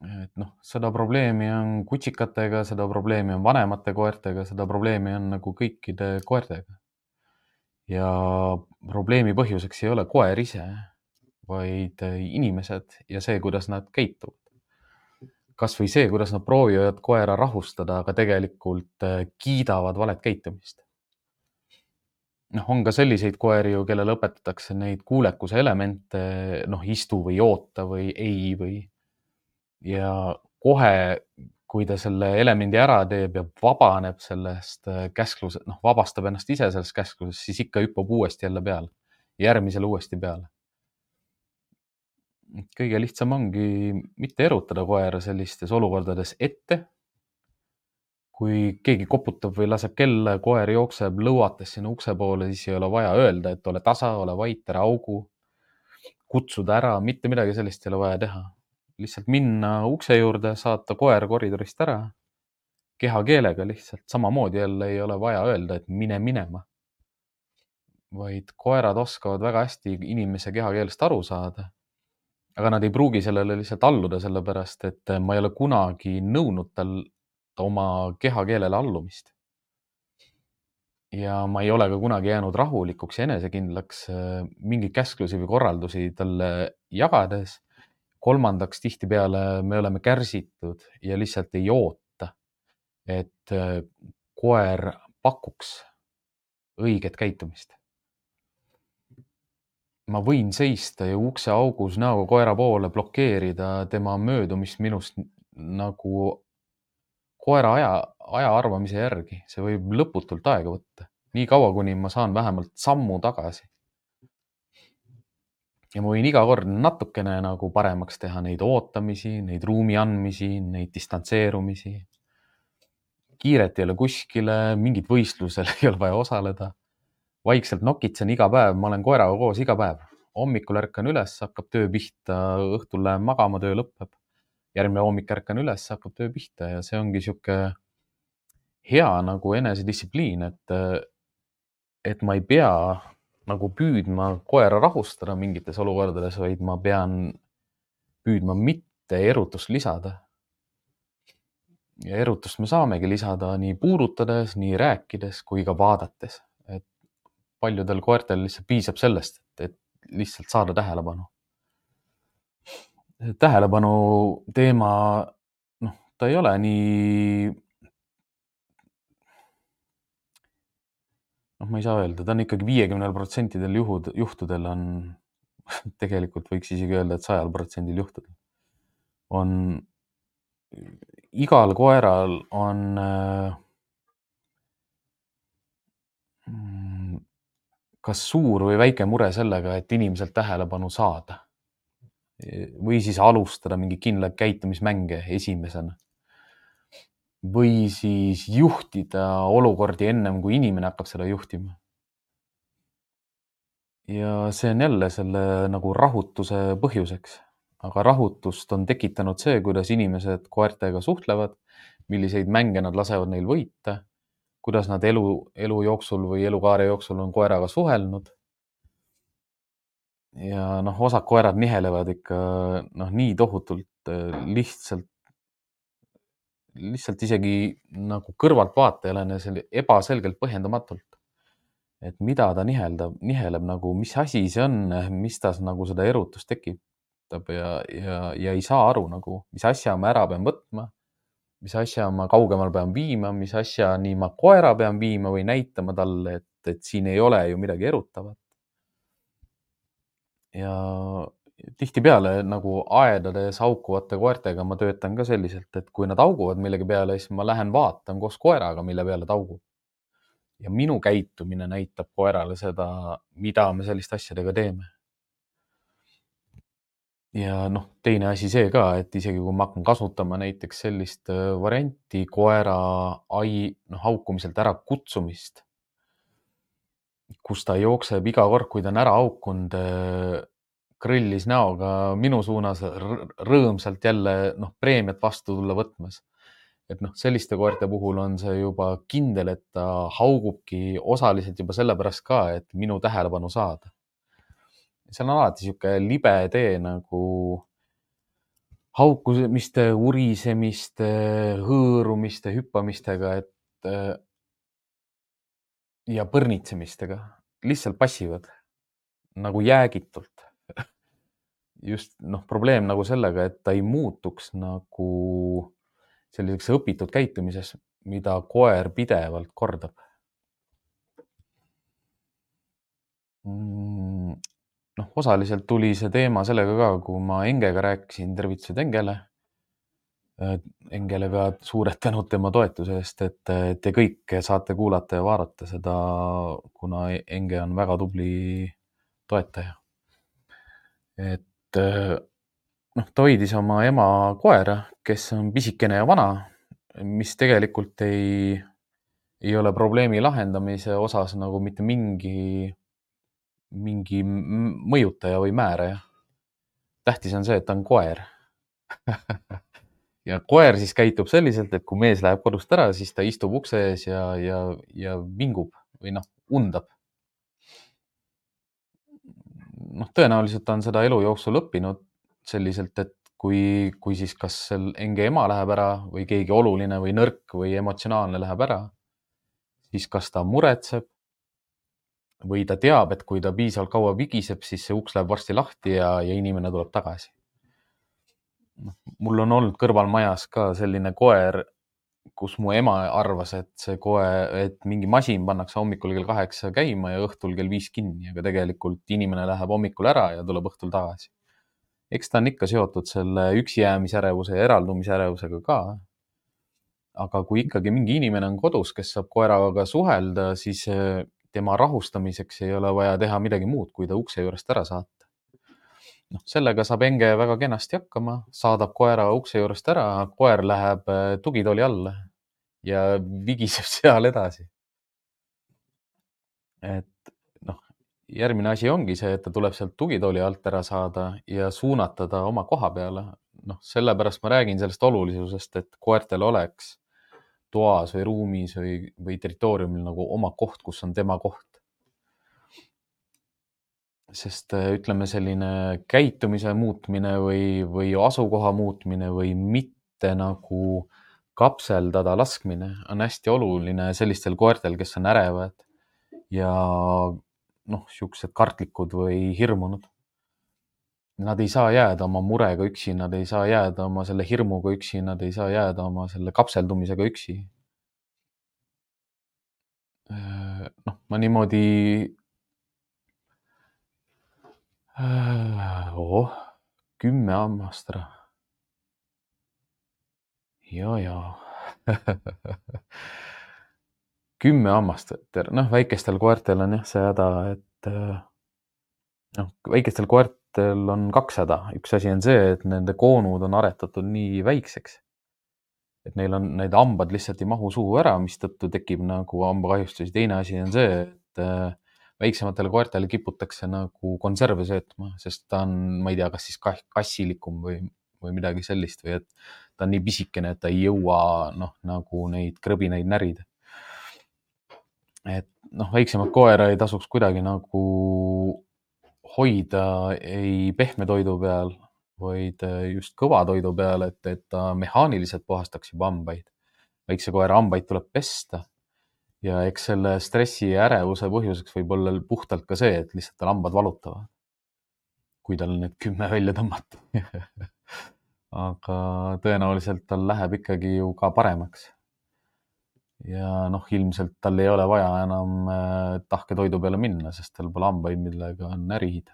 et noh, seda probleemi on kutsikatega, seda probleemi on vanemate koertega, seda probleemi on nagu kõikide koertega. ja probleemi põhjuseks ei ole koer ise, vaid inimesed ja see, kuidas nad käituvad. kas või see, kuidas nad proovivad koera rahustada, aga tegelikult kiidavad valet käitumist. noh, on ka selliseid koeri ju, kellele õpetatakse neid kuulekuse elemente, noh, istu või oota või ei või. ja kohe, kui ta selle elemendi ära teeb ja vabaneb sellest käsklusest, noh, vabastab ennast ise sellest käsklusest, siis ikka hüppab uuesti jälle peale, järgmisele uuesti peale. kõige lihtsam ongi mitte erutada koera sellistes olukordades ette. kui keegi koputab või laseb kella, koer jookseb lõuates sinna ukse poole, siis ei ole vaja öelda, et ole tasa, ole vait, ära augu, kutsuda ära, mitte midagi sellist ei ole vaja teha. Lihtsalt minna ukse juurde, saata koer koridorist ära, kehakeelega lihtsalt, samamoodi jälle ei ole vaja öelda, et mine minema. Vaid koerad oskavad väga hästi inimese kehakeelest aru saada. Aga nad ei pruugi sellele lihtsalt alluda, sellepärast et ma ei ole kunagi nõudnud tal oma kehakeelele allumist. Ja ma ei ole ka kunagi jäänud rahulikuks ja enesekindlaks mingeid käsklusi või korraldusi talle jagades. Kolmandaks, tihtipeale me oleme kärsitud ja lihtsalt ei oota, et koer pakuks õiget käitumist. Ma võin seista ja ukse augus näoga koera poole blokeerida tema möödumist minust nagu koera aja arvamise järgi. See võib lõputult aega võtta. Nii kaua, kuni ma saan vähemalt sammu tagasi. Ja ma võin iga kord natukene nagu paremaks teha neid ootamisi, neid ruumi andmisi, neid distantseerumisi. Kiiret ei ole kuskile, mingit võistlusel ei ole vaja osaleda. Vaikselt nokitsen iga päev, ma olen koeraga koos iga päev. Hommikul ärkan üles, hakkab töö pihta, õhtul lähen magama, töö lõpeb. Järgmine hommik ärkan üles, hakkab töö pihta ja see ongi sihuke hea nagu enesedistsipliin, et ma ei pea nagu püüdma koera rahustada mingites olukordades, vaid ma pean püüdma mitte erutust lisada. Ja erutust me saamegi lisada nii puudutades, nii rääkides kui ka vaadates. Et paljudel koertel lihtsalt piisab sellest, et lihtsalt saada tähelepanu. Tähelepanu teema, ta ei ole nii, ma ei saa öelda, ta on ikkagi 50% juhtudel on, tegelikult võiks isegi öelda, et 100% juhtudel on, igal koeral on kas suur või väike mure sellega, et inimeselt tähelepanu saada. Või siis alustada mingi kindlaid käitumismänge esimesena. Või siis juhtida olukordi ennem, kui inimene hakkab seda juhtima. Ja see on jälle selle nagu rahutuse põhjuseks. Aga rahutust on tekitanud see, kuidas inimesed koertega suhtlevad, milliseid mänge nad lasevad neil võita, kuidas nad elu jooksul või elukaare jooksul on koeraga suhelnud. Ja osad koerad nihelevad ikka nii tohutult lihtsalt isegi nagu kõrvaltvaatajale ebaselgelt põhjendamatult. Et mida ta niheleb nagu, mis asi see on, mis tas nagu seda erutust tekitab ja ei saa aru nagu, mis asja ma ära pean võtma, mis asja ma kaugemal pean viima, mis asja nii ma koera pean viima või näitama talle, et siin ei ole ju midagi erutavat. Ja tihtipeale nagu aedades haukuvate koertega ma töötan ka selliselt, et kui nad hauguvad millegi peale, siis ma lähen vaatan koos koeraga, mille peale ta haugub. Ja minu käitumine näitab koerale seda, mida me selliste asjadega teeme. Ja teine asi see ka, et isegi kui ma hakkan kasutama näiteks sellist varianti koera haukumiselt ära kutsumist, kus ta jookseb iga kord, kui ta on ära haukunud, krõllis näoga minu suunas rõõmsalt jälle preemiat vastu tulla võtmas. Et selliste koerte puhul on see juba kindel, et ta haugubki osaliselt juba sellepärast ka, et minu tähelepanu saada. See on alati sihuke libe tee nagu haukumiste, urisemiste, hõõrumiste, hüppamistega, ja põrnitsemistega. Lihtsalt passivad nagu jäägitult. Just probleem nagu sellega, et ta ei muutuks nagu selliseks õpitud käitumises, mida koer pidevalt kordab. Osaliselt tuli see teema sellega ka, kui ma Engega rääkisin, tervitused Engele. Engele ka suured tänud tema toetuse eest, et te kõik saate kuulata ja vaadata seda, kuna Enge on väga tubli toetaja. Et ta hoidis oma ema koera, kes on pisikene ja vana, mis tegelikult ei ole probleemi lahendamise osas nagu mitte mingi mõjutaja või määraja. Tähtis on see, et ta on koer. Ja koer siis käitub selliselt, et kui mees läheb kodust ära, siis ta istub ukse ees ja vingub või undab. Tõenäoliselt on seda elu jooksul õppinud selliselt, et kui siis kas enge ema läheb ära või keegi oluline või nõrk või emotsionaalne läheb ära, siis kas ta muretseb või ta teab, et kui ta piisavalt kaua vigiseb, siis see uks läheb varsti lahti ja inimene tuleb tagasi. Mul on olnud kõrvalmajas ka selline koer, kus mu ema arvas, et mingi masin pannakse hommikul kell 8 käima ja õhtul kell 5 kinni, aga tegelikult inimene läheb hommikul ära ja tuleb õhtul tagasi. Eks ta on ikka seotud selle üksijäämisärevuse ja eraldumisärevusega ka. Aga kui ikkagi mingi inimene on kodus, kes saab koeraga suhelda, siis tema rahustamiseks ei ole vaja teha midagi muud, kui ta ukse juurest ära saata. Sellega saab enge väga kenasti hakkama, saadab koera ukse juurest ära, koer läheb tugitooli alla ja vigiseb seal edasi. Et järgmine asi ongi see, et ta tuleb sealt tugitooli alt ära saada ja suunata ta oma koha peale. Sellepärast ma räägin sellest olulisusest, et koertel oleks toas või ruumis või territooriumil nagu oma koht, kus on tema koht. Sest ütleme, selline käitumise muutmine või asukoha muutmine või mitte nagu kapseldada laskmine on hästi oluline sellistel koertel, kes on ärevad ja siuksed kartlikud või hirmunud. Nad ei saa jääda oma murega üksi, nad ei saa jääda oma selle hirmuga üksi, nad ei saa jääda oma selle kapseldumisega üksi. Ma niimoodi 10 hammast ära. Ja. 10 hammast, väikestel koertel on jah see häda, et väikestel koertel on 2 häda. Üks asi on see, et nende koonud on aretatud nii väikseks, et neil on need hambad lihtsalt ei mahu suhu ära, mistõttu tekib nagu hambakahjustusi. Teine asi on see, et väiksematele koertele kiputakse nagu konserve söötma, sest ta on, ma ei tea, kas siis kassilikum või midagi sellist või et ta on nii pisikene, et ta ei jõua nagu neid krõbinaid närida. Et väiksemat koera ei tasuks kuidagi nagu hoida ei pehme toidu peal, vaid just kõva toidu peal, et ta mehaaniliselt puhastaks juba hambaid. Väikse koera hambaid tuleb pesta ja eks selle stressi ja ärevuse põhjuseks võib olla puhtalt ka see, et lihtsalt tal hambad valutavad, kui tal need 10 välja tõmmata. Aga tõenäoliselt tal läheb ikkagi ju ka paremaks. Ja ilmselt tal ei ole vaja enam tahke toidu peale minna, sest tal pole hambaid, millega närida.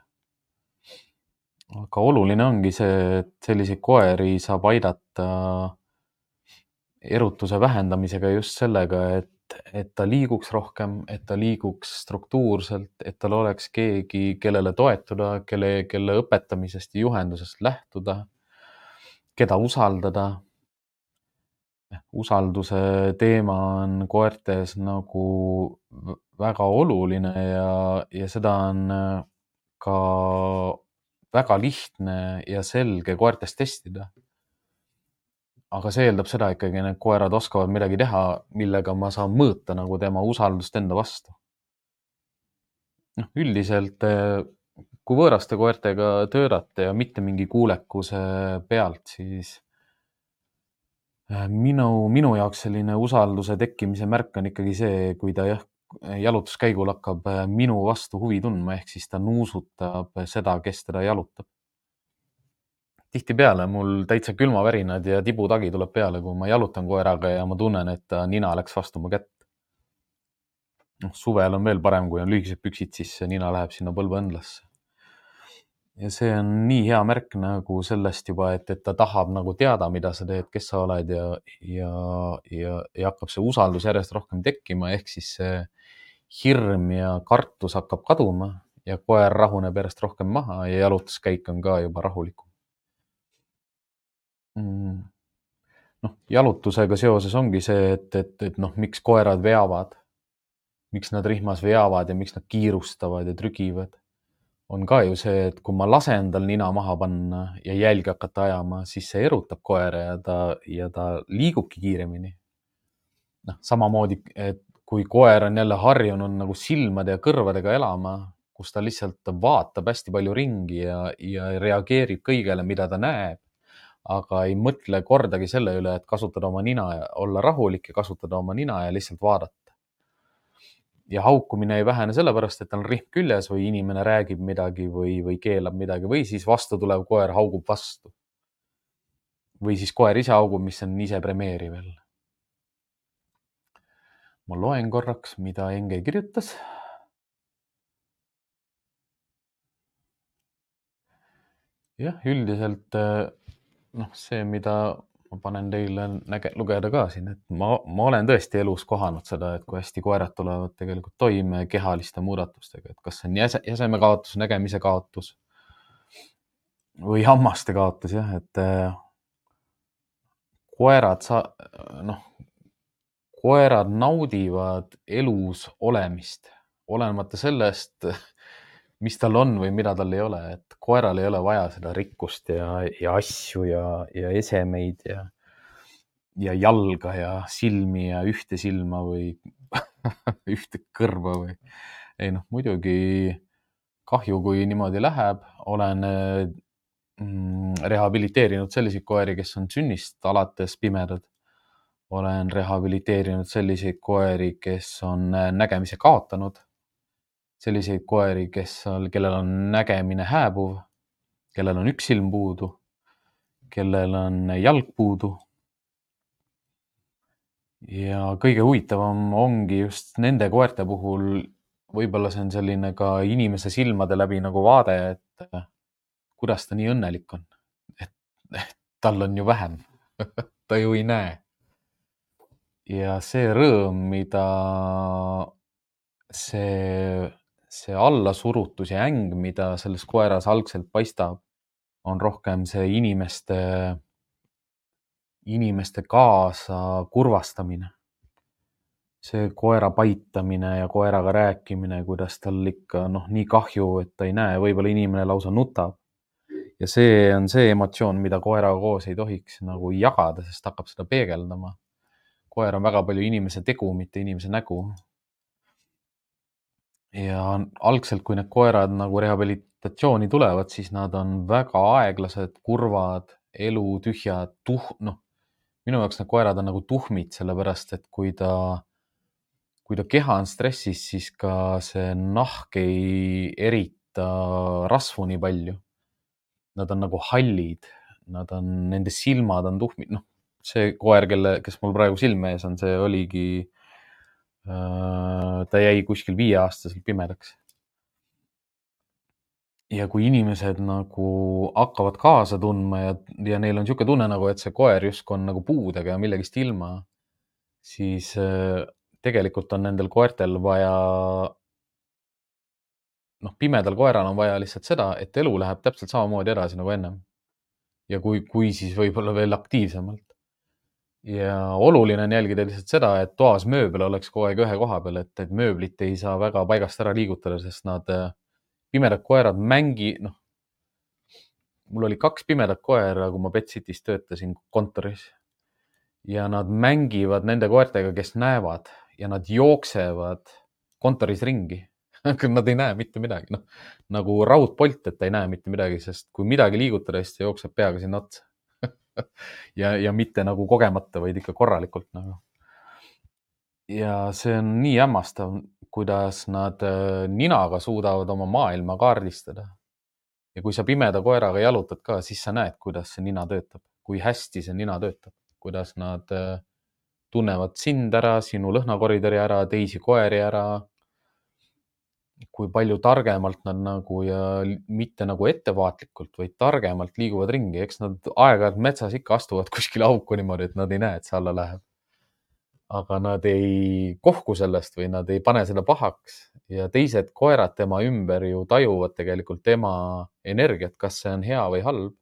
Aga oluline ongi see, et selliseid koeri saab aidata erutuse vähendamisega just sellega, et ta liiguks rohkem, et ta liiguks struktuurselt, et tal oleks keegi, kellele toetuda, kelle õpetamisest ja juhendusest lähtuda, keda usaldada. Usalduse teema on koertes nagu väga oluline ja seda on ka väga lihtne ja selge koertes testida. Aga see eeldab seda ikkagi, need koerad oskavad midagi teha, millega ma saan mõõta nagu tema usaldust enda vastu. Üldiselt, kui võõraste koertega töötate ja mitte mingi kuulekuse pealt, siis minu jaoks selline usalduse tekkimise märk on ikkagi see, kui ta jalutuskäigul hakkab minu vastu huvi tundma, ehk siis ta nuusutab seda, kes teda jalutab. Tihtipeale mul täitsa külmavärinad ja tibutagi tuleb peale, kui ma jalutan koeraga ja ma tunnen, et ta nina läks vastu mu kätt. Suvel on veel parem, kui on lühikesed püksid, siis nina läheb sinna põlveõndlasse. Ja see on nii hea märk nagu sellest juba, et ta tahab nagu teada, mida sa teed, kes sa oled ja hakkab see usaldus järjest rohkem tekkima, ehk siis see hirm ja kartus hakkab kaduma ja koer rahuneb järjest rohkem maha ja jalutuskäik on ka juba rahulikum. Jalutusega seoses ongi see, et miks koerad veavad, miks nad rihmas veavad ja miks nad kiirustavad ja trügivad. On ka ju see, et kui ma lasen tal nina maha panna ja jälgi hakata ajama, siis see erutab koera ja ta liigubki kiiremini. Samamoodi, et kui koer on jälle harjunud nagu silmade ja kõrvadega elama, kus ta lihtsalt vaatab hästi palju ringi ja reageerib kõigele, mida ta näeb, aga ei mõtle kordagi selle üle, et kasutada oma nina ja olla rahulik ja kasutada oma nina ja lihtsalt vaadata. Ja haukumine ei vähene sellepärast, et tal on rihm küljes või inimene räägib midagi või keelab midagi või siis vastu tulev koer haugub vastu. Või siis koer ise haugub, mis on ise premeeriv jälle. Ma loen korraks, mida Enge kirjutas. Jah, üldiselt see, mida ma panen teile lugeda ka siin, et ma olen tõesti elus kohanud seda, et kui hästi koerad tulevad tegelikult toime kehaliste muudatustega, et kas see on jäseme kaotus, nägemise kaotus või hammaste kaotus, jah, et koerad naudivad elus olemist, olenemata sellest, mis tal on või mida tal ei ole, et koeral ei ole vaja seda rikkust ja asju ja esemeid ja jalga ja silmi ja ühte silma või ühte kõrva või ei muidugi kahju, kui niimoodi läheb. Olen rehabiliteerinud selliseid koeri, kes on sünnist alates pimedad. Olen rehabiliteerinud selliseid koeri, kes on nägemise kaotanud. Selliseid koeri, kellel on nägemine hääbuv, kellel on üks silm puudu, kellel on jalg puudu. Ja kõige huvitavam ongi just nende koerte puhul, võib-olla see on selline ka inimese silmade läbi nagu vaade, et kuidas ta nii õnnelik on. Et tal on ju vähem, ta ju ei näe. Ja see rõõm, mida see allasurutus ja äng, mida selles koeras algselt paistab, on rohkem see inimeste kaasa kurvastamine. See koera paitamine ja koeraga rääkimine, kuidas tal ikka nii kahju, et ta ei näe, võib-olla inimene lausa nutab. Ja see on see emotsioon, mida koeraga koos ei tohiks nagu jagada, sest hakkab seda peegeldama. Koer on väga palju inimese tegu, mitte inimese nägu. Ja algselt, kui need koerad nagu rehabilitatsiooni tulevad, siis nad on väga aeglased, kurvad, elutühjad, minu jaoks need koerad on nagu tuhmid, sellepärast et kui ta keha on stressis, siis ka see nahk ei erita rasvu nii palju. Nad on nagu hallid, nende silmad on tuhmid. See koer, kes mul praegu silme ees on, see oligi, ta jäi kuskil 5-aastaselt pimedaks. Ja kui inimesed nagu hakkavad kaasa tundma ja neil on niisugune tunne nagu, et see koer justkui on nagu puudega ja millegist ilma, siis tegelikult on nendel koertel vaja, pimedal koeral on vaja lihtsalt seda, et elu läheb täpselt samamoodi edasi nagu ennem. Ja kui siis võib-olla veel aktiivsemalt. Ja oluline on jälgida lihtsalt seda, et toas mööbel oleks kogu aeg ühe koha peal, et mööblit ei saa väga paigast ära liigutada, sest pimedad koerad mul oli 2 pimedat koera, kui ma Pet City's töötasin kontoris ja nad mängivad nende koertega, kes näevad ja nad jooksevad kontoris ringi. Nad ei näe mitte midagi, nagu raudpolt, et ta ei näe mitte midagi, sest kui midagi liigutada, siis ta jookseb peaga sinna otsa. ja mitte nagu kogemata, vaid ikka korralikult nagu. Ja see on nii hämmastav, kuidas nad ninaga suudavad oma maailma kaardistada. Ja kui sa pimeda koeraga jalutad ka, siis sa näed, kuidas see nina töötab, kui hästi see nina töötab, kuidas nad tunnevad sind ära, sinu lõhnakoridori ära, teisi koeri ära. Kui palju targemalt nad nagu ja mitte nagu ettevaatlikult, vaid targemalt liiguvad ringi. Eks nad aeg-ajalt metsas ikka astuvad kuskile auku niimoodi, et nad ei näe, et see alla läheb. Aga nad ei kohku sellest või nad ei pane seda pahaks. Ja teised koerad tema ümber ju tajuvad tegelikult tema energiat, kas see on hea või halb.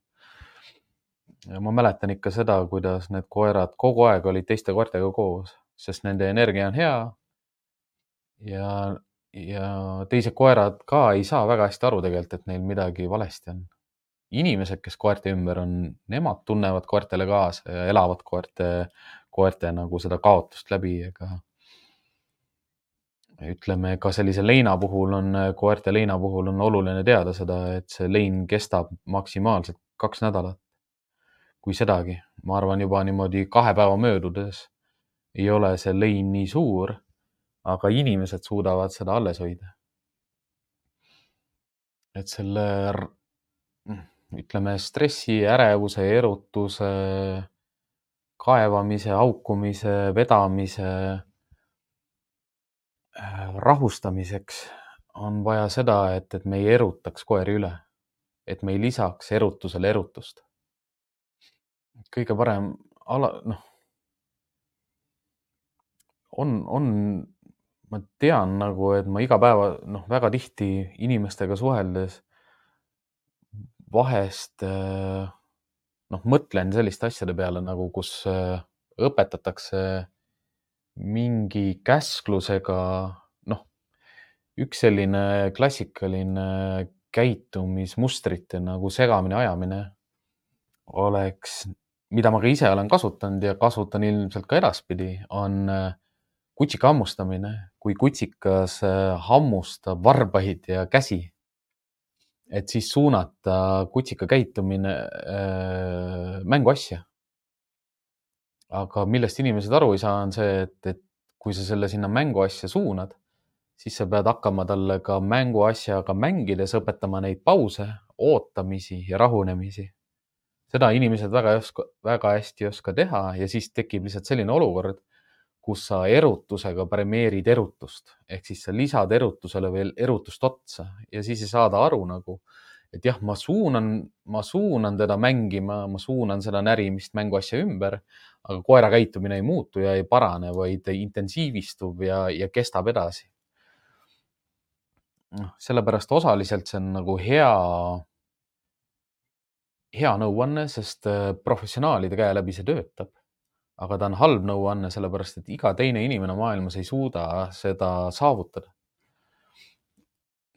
Ja ma mäletan ikka seda, kuidas need koerad kogu aeg olid teiste koertega koos, sest nende energia on hea ja, ja teised koerad ka ei saa väga hästi aru tegelikult, et neil midagi valesti on. Inimesed, kes koerte ümber on, nemad tunnevad koertele kaasa ja elavad koerte nagu seda kaotust läbi, ega ütleme ka sellise leina puhul on, koerte leina puhul on oluline teada seda, et see lein kestab maksimaalselt 2 nädalat. Kui sedagi, ma arvan juba niimoodi 2 päeva möödudes ei ole see lein nii suur, aga inimesed suudavad seda alles hoida. Et selle, ütleme, stressi, ärevuse, erutuse, kaevamise, haukumise, vedamise rahustamiseks on vaja seda, et me ei erutaks koeri üle, et me ei lisaks erutusele erutust. Kõige parem ma tean nagu, et ma iga päeva, väga tihti inimestega suheldes vahest mõtlen selliste asjade peale nagu, kus õpetatakse mingi käsklusega, üks selline klassikaline käitumismustrite nagu segamini ajamine oleks, mida ma ka ise olen kasutanud ja kasutan ilmselt ka edaspidi, on kutsika hammustamine, kui kutsikas hammustab varbaid ja käsi, et siis suunata kutsika käitumine mänguasja. Aga millest inimesed aru ei saa, on see, et kui sa selle sinna mänguasja suunad, siis sa pead hakkama talle ka mänguasjaga mängides õpetama neid pause, ootamisi ja rahunemisi. Seda inimesed väga hästi ei oska teha ja siis tekib lihtsalt selline olukord, kus sa erutusega premeerid erutust, ehk siis sa lisad erutusele veel erutust otsa ja siis ei saada aru nagu, et jah, ma suunan teda mängima, ma suunan seda närimist mänguasja ümber, aga koera käitumine ei muutu ja ei parane, vaid intensiivistub ja kestab edasi. Sellepärast osaliselt see on nagu hea nõuanne, sest professionaalide käe läbi see töötab. Aga ta on halb nõuanne, sellepärast et iga teine inimene maailmas ei suuda seda saavutada.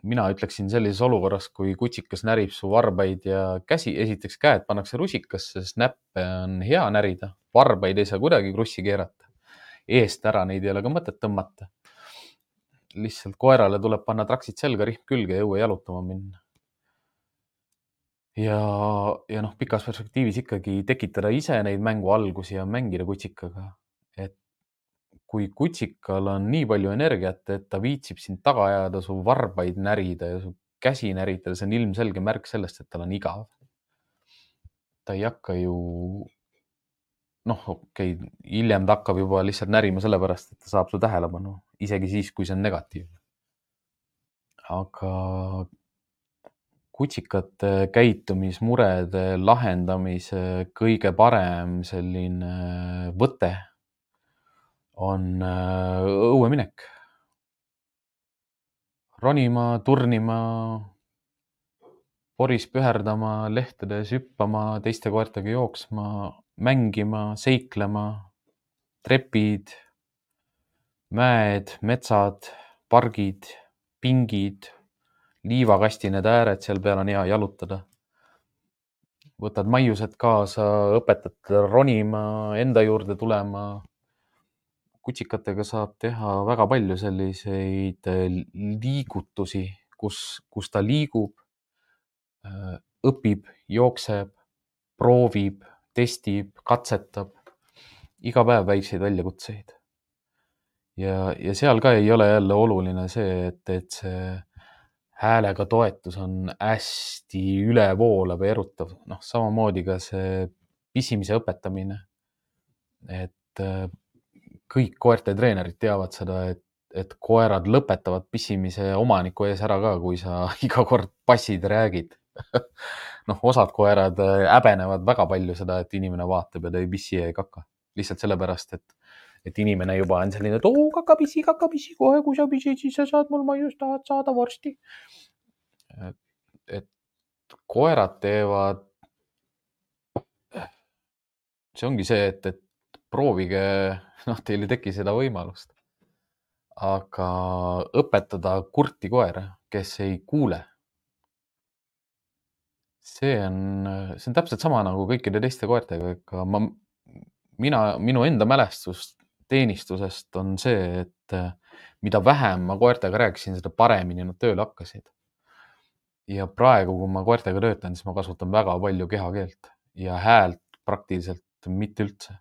Mina ütleksin sellises olukorras, kui kutsikas närib su varbaid ja käsi, esiteks käed pannakse rusikasse, sest näppe on hea närida, varbaid ei saa kuidagi krussi keerata. Eest ära neid ei ole ka mõtet tõmmata. Lihtsalt koerale tuleb panna traksid selga, rihm külge ja õue jalutama minna. Ja pikas perspektiivis ikkagi tekitada ise neid mängu algusi ja mängida kutsikaga. Et kui kutsikal on nii palju energiat, et ta viitsib sind taga ajada, su varbaid närida ja su käsi näritada, see on ilmselge märk sellest, et tal on igav. Ta ei hakka ju, hiljem ta hakkab juba lihtsalt närima sellepärast, et ta saab su tähelepanu, isegi siis, kui see on negatiivne. Aga kutsikate käitumismurede lahendamise kõige parem selline võte on õueminek. Ronima, turnima, poris püherdama, lehtedes hüppama, teiste koertega jooksma, mängima, seiklema, trepid, mäed, metsad, pargid, pingid, liivakasti need ääred, seal peal on hea jalutada. Võtad maiused kaasa, õpetad teda ronima, enda juurde tulema. Kutsikatega saab teha väga palju selliseid liigutusi, kus ta liigub, õpib, jookseb, proovib, testib, katsetab. Iga päev väikseid väljakutseid. Ja seal ka ei ole jälle oluline see, et see häälega toetus on hästi ülevoolav ja erutav. Samamoodi ka see pisimise õpetamine. Et kõik koerte treenerid teavad seda, et koerad lõpetavad pissimise omaniku ees ära ka, kui sa iga kord passid ja räägid. Osad koerad häbenevad väga palju seda, et inimene vaatab ja ta ei pissi ja ei kaka. Lihtsalt sellepärast, et inimene juba on selline, et kakapissi, kohe kui sa pissid, siis sa saad mul maiust, tahad saada vorsti. Et koerad teevad see ongi see, et proovige, noh, teil ei teki seda võimalust, aga õpetada kurti koera, kes ei kuule, see on täpselt sama nagu kõikide teiste koertega, ega minu enda mälestus teenistusest on see, et mida vähem ma koertega rääkisin, seda paremini nad tööle hakkasid. Ja praegu, kui ma koertega töötan, siis ma kasutan väga palju kehakeelt ja häält praktiliselt mitte üldse.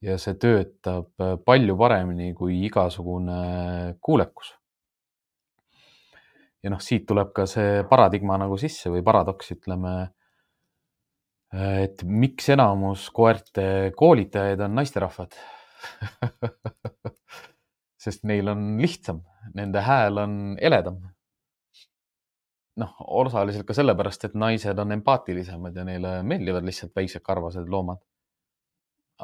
Ja see töötab palju paremini kui igasugune kuulekus. Ja noh, siit tuleb ka see paradigma nagu sisse või paradoks, ütleme, et miks enamus koerte koolitajaid on naisterahvad. Sest neil on lihtsam, nende hääl on eledam. Noh, osaliselt ka sellepärast, et naised on empaatilisemad ja neile meeldivad lihtsalt väiksed karvased loomad.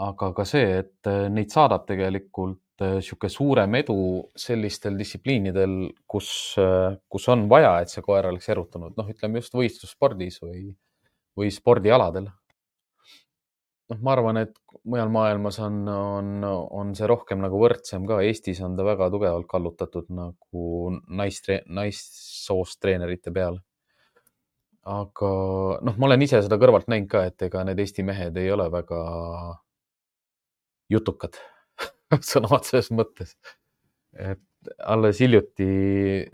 Aga ka see, et neid saadab tegelikult sihuke suurem edu sellistel distsipliinidel, kus on vaja, et see koer oleks erutunud. Noh, ütleme just võistlusspordis või spordialadel. Noh, ma arvan, et mujal maailmas on see rohkem nagu võrdsem ka. Eestis on ta väga tugevalt kallutatud nagu naissoost treenerite peale. Aga noh, ma olen ise seda kõrvalt näinud ka, et ega need Eesti mehed ei ole väga jutukad sõna otseses mõttes. Et alles hiljuti,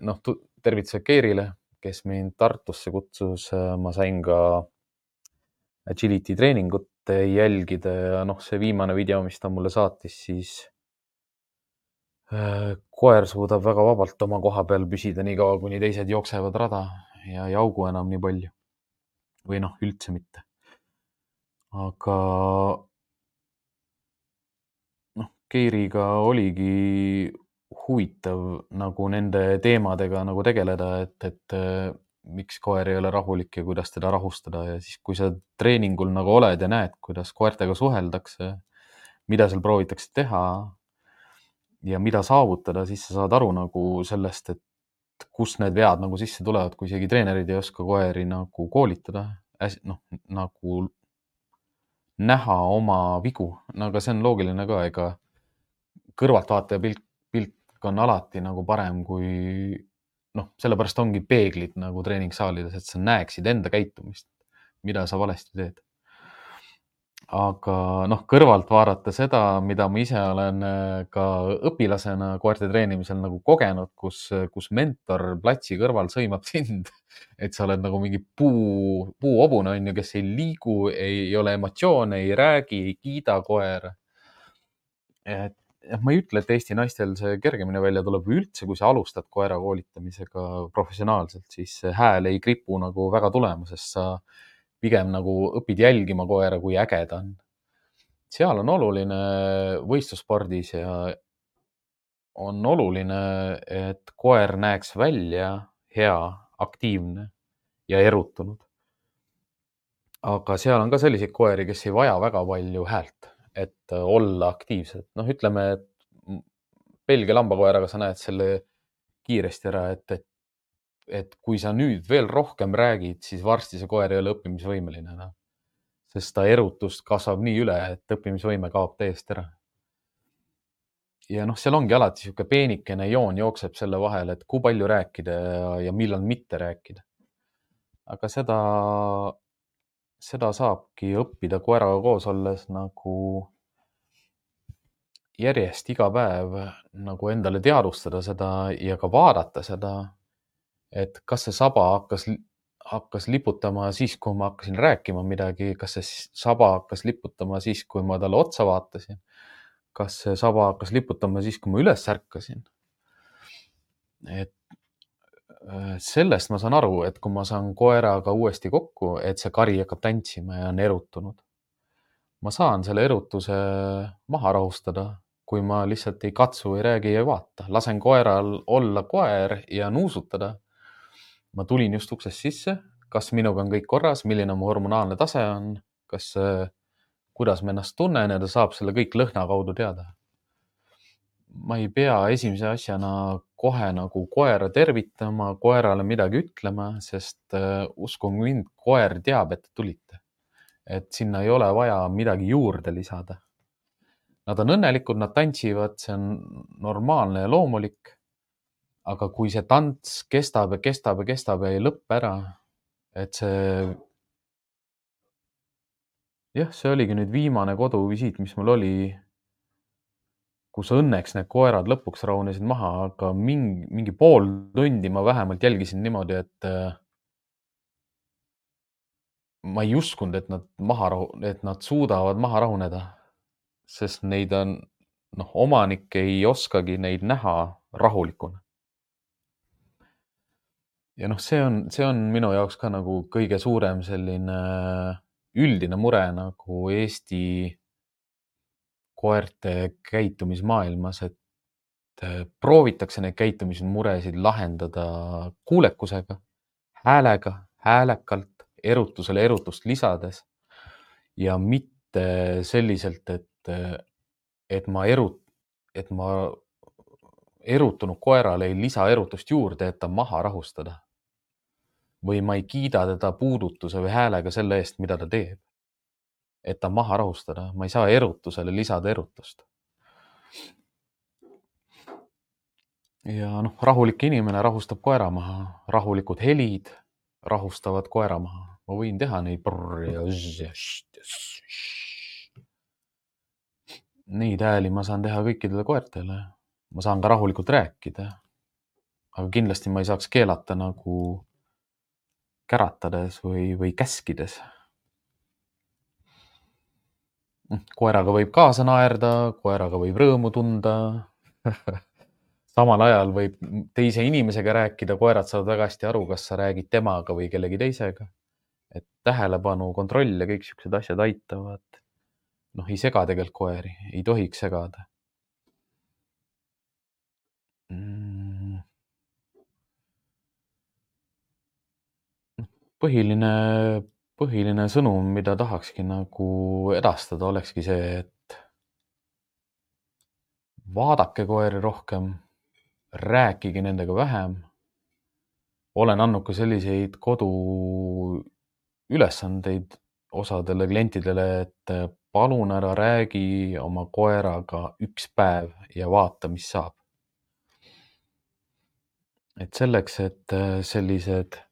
noh, tervitused Keirile, kes mind Tartusse kutsus, ma sain ka agility treeningut jälgida ja noh, see viimane video, mis ta mulle saatis, siis koer suudab väga vabalt oma koha peal püsida nii kaua, kuni teised jooksevad rada ja ei augu enam nii palju. Või noh, üldse mitte. Aga noh, Keiriga oligi huvitav nagu nende teemadega nagu tegeleda, et miks koer ei ole rahulik ja kuidas teda rahustada. Ja siis, kui sa treeningul nagu oled ja näed, kuidas koertega suheldakse, mida seal proovitakse teha ja mida saavutada, siis sa saad aru nagu sellest, et kus need vead nagu sisse tulevad, kui isegi treenerid ei oska koeri nagu koolitada, noh, nagu näha oma vigu. No aga see on loogiline ka, ega kõrvaltvaataja pilk on alati nagu parem kui noh, sellepärast ongi peeglid nagu treeningsaalides, et sa näeksid enda käitumist, mida sa valesti teed. Aga noh, kõrvalt vaadata seda, mida ma ise olen ka õpilasena koerte treenimisel nagu kogenud, kus mentor platsi kõrval sõimab sind, et sa oled nagu mingi puuhobune, on ju, kes ei liigu, ei ole emotsioone, ei räägi, ei kiida koera. Et ma ei ütle, et Eesti naistel see kergemini välja tuleb või üldse, kui sa alustad koera koolitamisega professionaalselt, siis see hääl ei kripu nagu väga tulema, sest sa pigem nagu õpid jälgima koera, kui äge ta on. Seal on oluline võistlusspordis ja on oluline, et koer näeks välja hea, aktiivne ja erutunud. Aga seal on ka selliseid koeri, kes ei vaja väga palju häält, et olla aktiivsed. Noh, ütleme, et Belgia lambakoeraga sa näed selle kiiresti ära, et kui sa nüüd veel rohkem räägid, siis varsti see koer ei ole õppimisvõimeline enam. Sest ta erutust kasvab nii üle, et õppimisvõime kaob täiesti ära. Ja noh, seal ongi alati sihuke peenikene joon jookseb selle vahel, et kui palju rääkida ja millal mitte rääkida. Aga seda saabki õppida koeraga koos olles nagu järjest iga päev nagu endale teadvustada seda ja ka vaadata seda, et kas see saba hakkas liputama siis, kui ma hakkasin rääkima midagi, kas see saba hakkas liputama siis, kui ma talle otsa vaatasin, kas see saba hakkas liputama siis, kui ma üles ärkasin. Et sellest ma saan aru, et kui ma saan koeraga uuesti kokku, et see kari hakkab tantsima ja on erutunud. Ma saan selle erutuse maha rahustada, kui ma lihtsalt ei katsu, ei räägi ja ei vaata. Lasen koeral olla koer ja nuusutada. Ma tulin just uksest sisse, kas minuga on kõik korras, milline mu hormonaalne tase on, kuidas ma ennast tunnen ja ta saab selle kõik lõhna kaudu teada. Ma ei pea esimese asjana kohe nagu koera tervitama, koerale midagi ütlema, sest uskuge mind, koer teab, et te tulite. et sinna ei ole vaja midagi juurde lisada. Nad on õnnelikud, nad tantsivad, see on normaalne ja loomulik. Aga kui see tants kestab ja kestab ja kestab ja ei lõppe ära, et see oligi nüüd viimane koduvisiit, mis mul oli, kus õnneks need koerad lõpuks rahunesid maha, aga mingi pool tundi ma vähemalt jälgisin niimoodi, et ma ei uskunud, et nad suudavad maha rahuneda, sest neid on, omanik ei oskagi neid näha rahulikuna. Ja see on minu jaoks ka nagu kõige suurem selline üldine mure nagu Eesti koerte käitumismaailmas, et proovitakse neid käitumismuresid lahendada kuulekusega, häälega, häälekalt, erutusele erutust lisades ja mitte selliselt, et ma erutunud koerale ei lisa erutust juurde, et ta maha rahustada. Või ma ei kiida teda puudutuse või häälega selle eest, mida ta teeb. Et ta maha rahustada. Ma ei saa erutusele lisada erutust. Ja rahulik inimene rahustab koera maha. Rahulikud helid rahustavad koera maha. Ma võin teha neid neid hääli ma saan teha kõikidele koertele. Ma saan ka rahulikult rääkida. Aga kindlasti ma ei saaks keelata nagu käratades või käskides. Koeraga võib kaasa naerda, koeraga võib rõõmu tunda. Samal ajal võib teise inimesega rääkida, koerad saavad väga hästi aru, kas sa räägid temaga või kellegi teisega. Et tähelepanu, kontroll ja kõik siuksed asjad aitavad. Ei sega tegelikult koeri, ei tohiks segada. Põhiline sõnum, mida tahakski nagu edastada, olekski see, et vaadake koeri rohkem, rääkige nendega vähem. Olen andnud ka selliseid koduülesandeid osadele klientidele, et palun ära räägi oma koeraga 1 päev ja vaata, mis saab. Et selleks, et sellised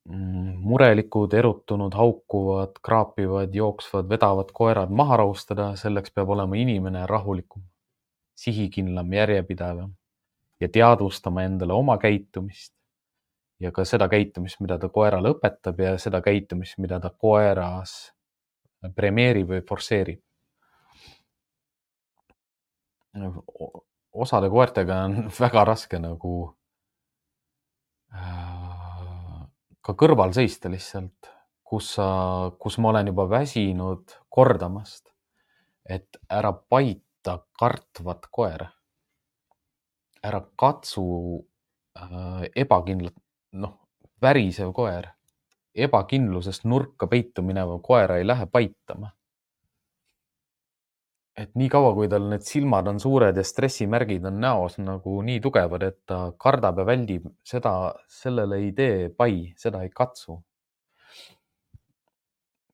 murelikud, erutunud, haukuvad, kraapivad, jooksvad, vedavad koerad maha rahustada, selleks peab olema inimene rahulikum, sihikindlam, järjepidevam ja teadvustama endale oma käitumist ja ka seda käitumist, mida ta koerale õpetab ja seda käitumist, mida ta koeras premeerib või forsseerib. Osade koertega on väga raske nagu ka kõrval seista lihtsalt, kus ma olen juba väsinud kordamast, et ära paita kartvat koera. Ära katsu ebakindlat, värisev koer. Ebakindlusest nurka peitu mineva koera ei lähe paitama. Et nii kaua, kui tal need silmad on suured ja stressimärgid on näos nagu nii tugevad, et ta kardab ja väldib, sellele ei tee pai, seda ei katsu.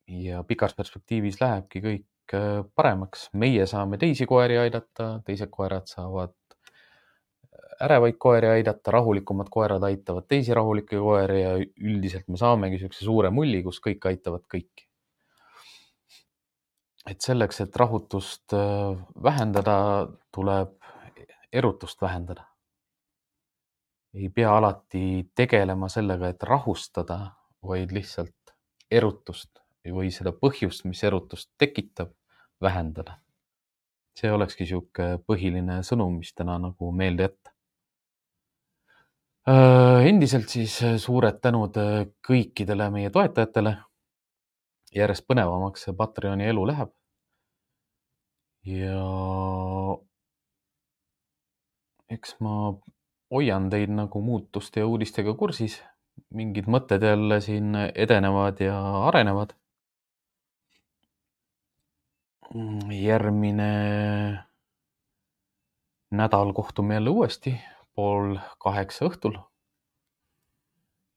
Ja pikas perspektiivis lähebki kõik paremaks. Meie saame teisi koeri aidata, teised koerad saavad ärevaid koeri aidata, rahulikumad koerad aitavad teisi rahulikke koeri ja üldiselt me saamegi sellise suure mulli, kus kõik aitavad kõiki. Et selleks, et rahutust vähendada, tuleb erutust vähendada. Ei pea alati tegelema sellega, et rahustada, vaid lihtsalt erutust või seda põhjust, mis erutust tekitab, vähendada. See olekski siuke põhiline sõnum, mis täna nagu meelde jätta. Endiselt siis suured tänud kõikidele meie toetajatele. Järjest põnevamaks see Patreoni elu läheb. Ja eks ma hoian teid nagu muutuste ja uudistega kursis. Mingid mõtted jälle siin edenevad ja arenevad. Järgmine nädal kohtume jälle uuesti 7:30 õhtul.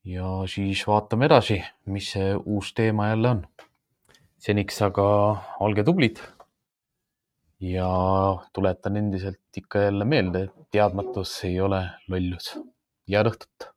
Ja siis vaatame edasi, mis see uus teema jälle on. seniks aga olge tublid ja tuletan endiselt ikka jälle meelde, et teadmatus ei ole lollus. Head õhtut!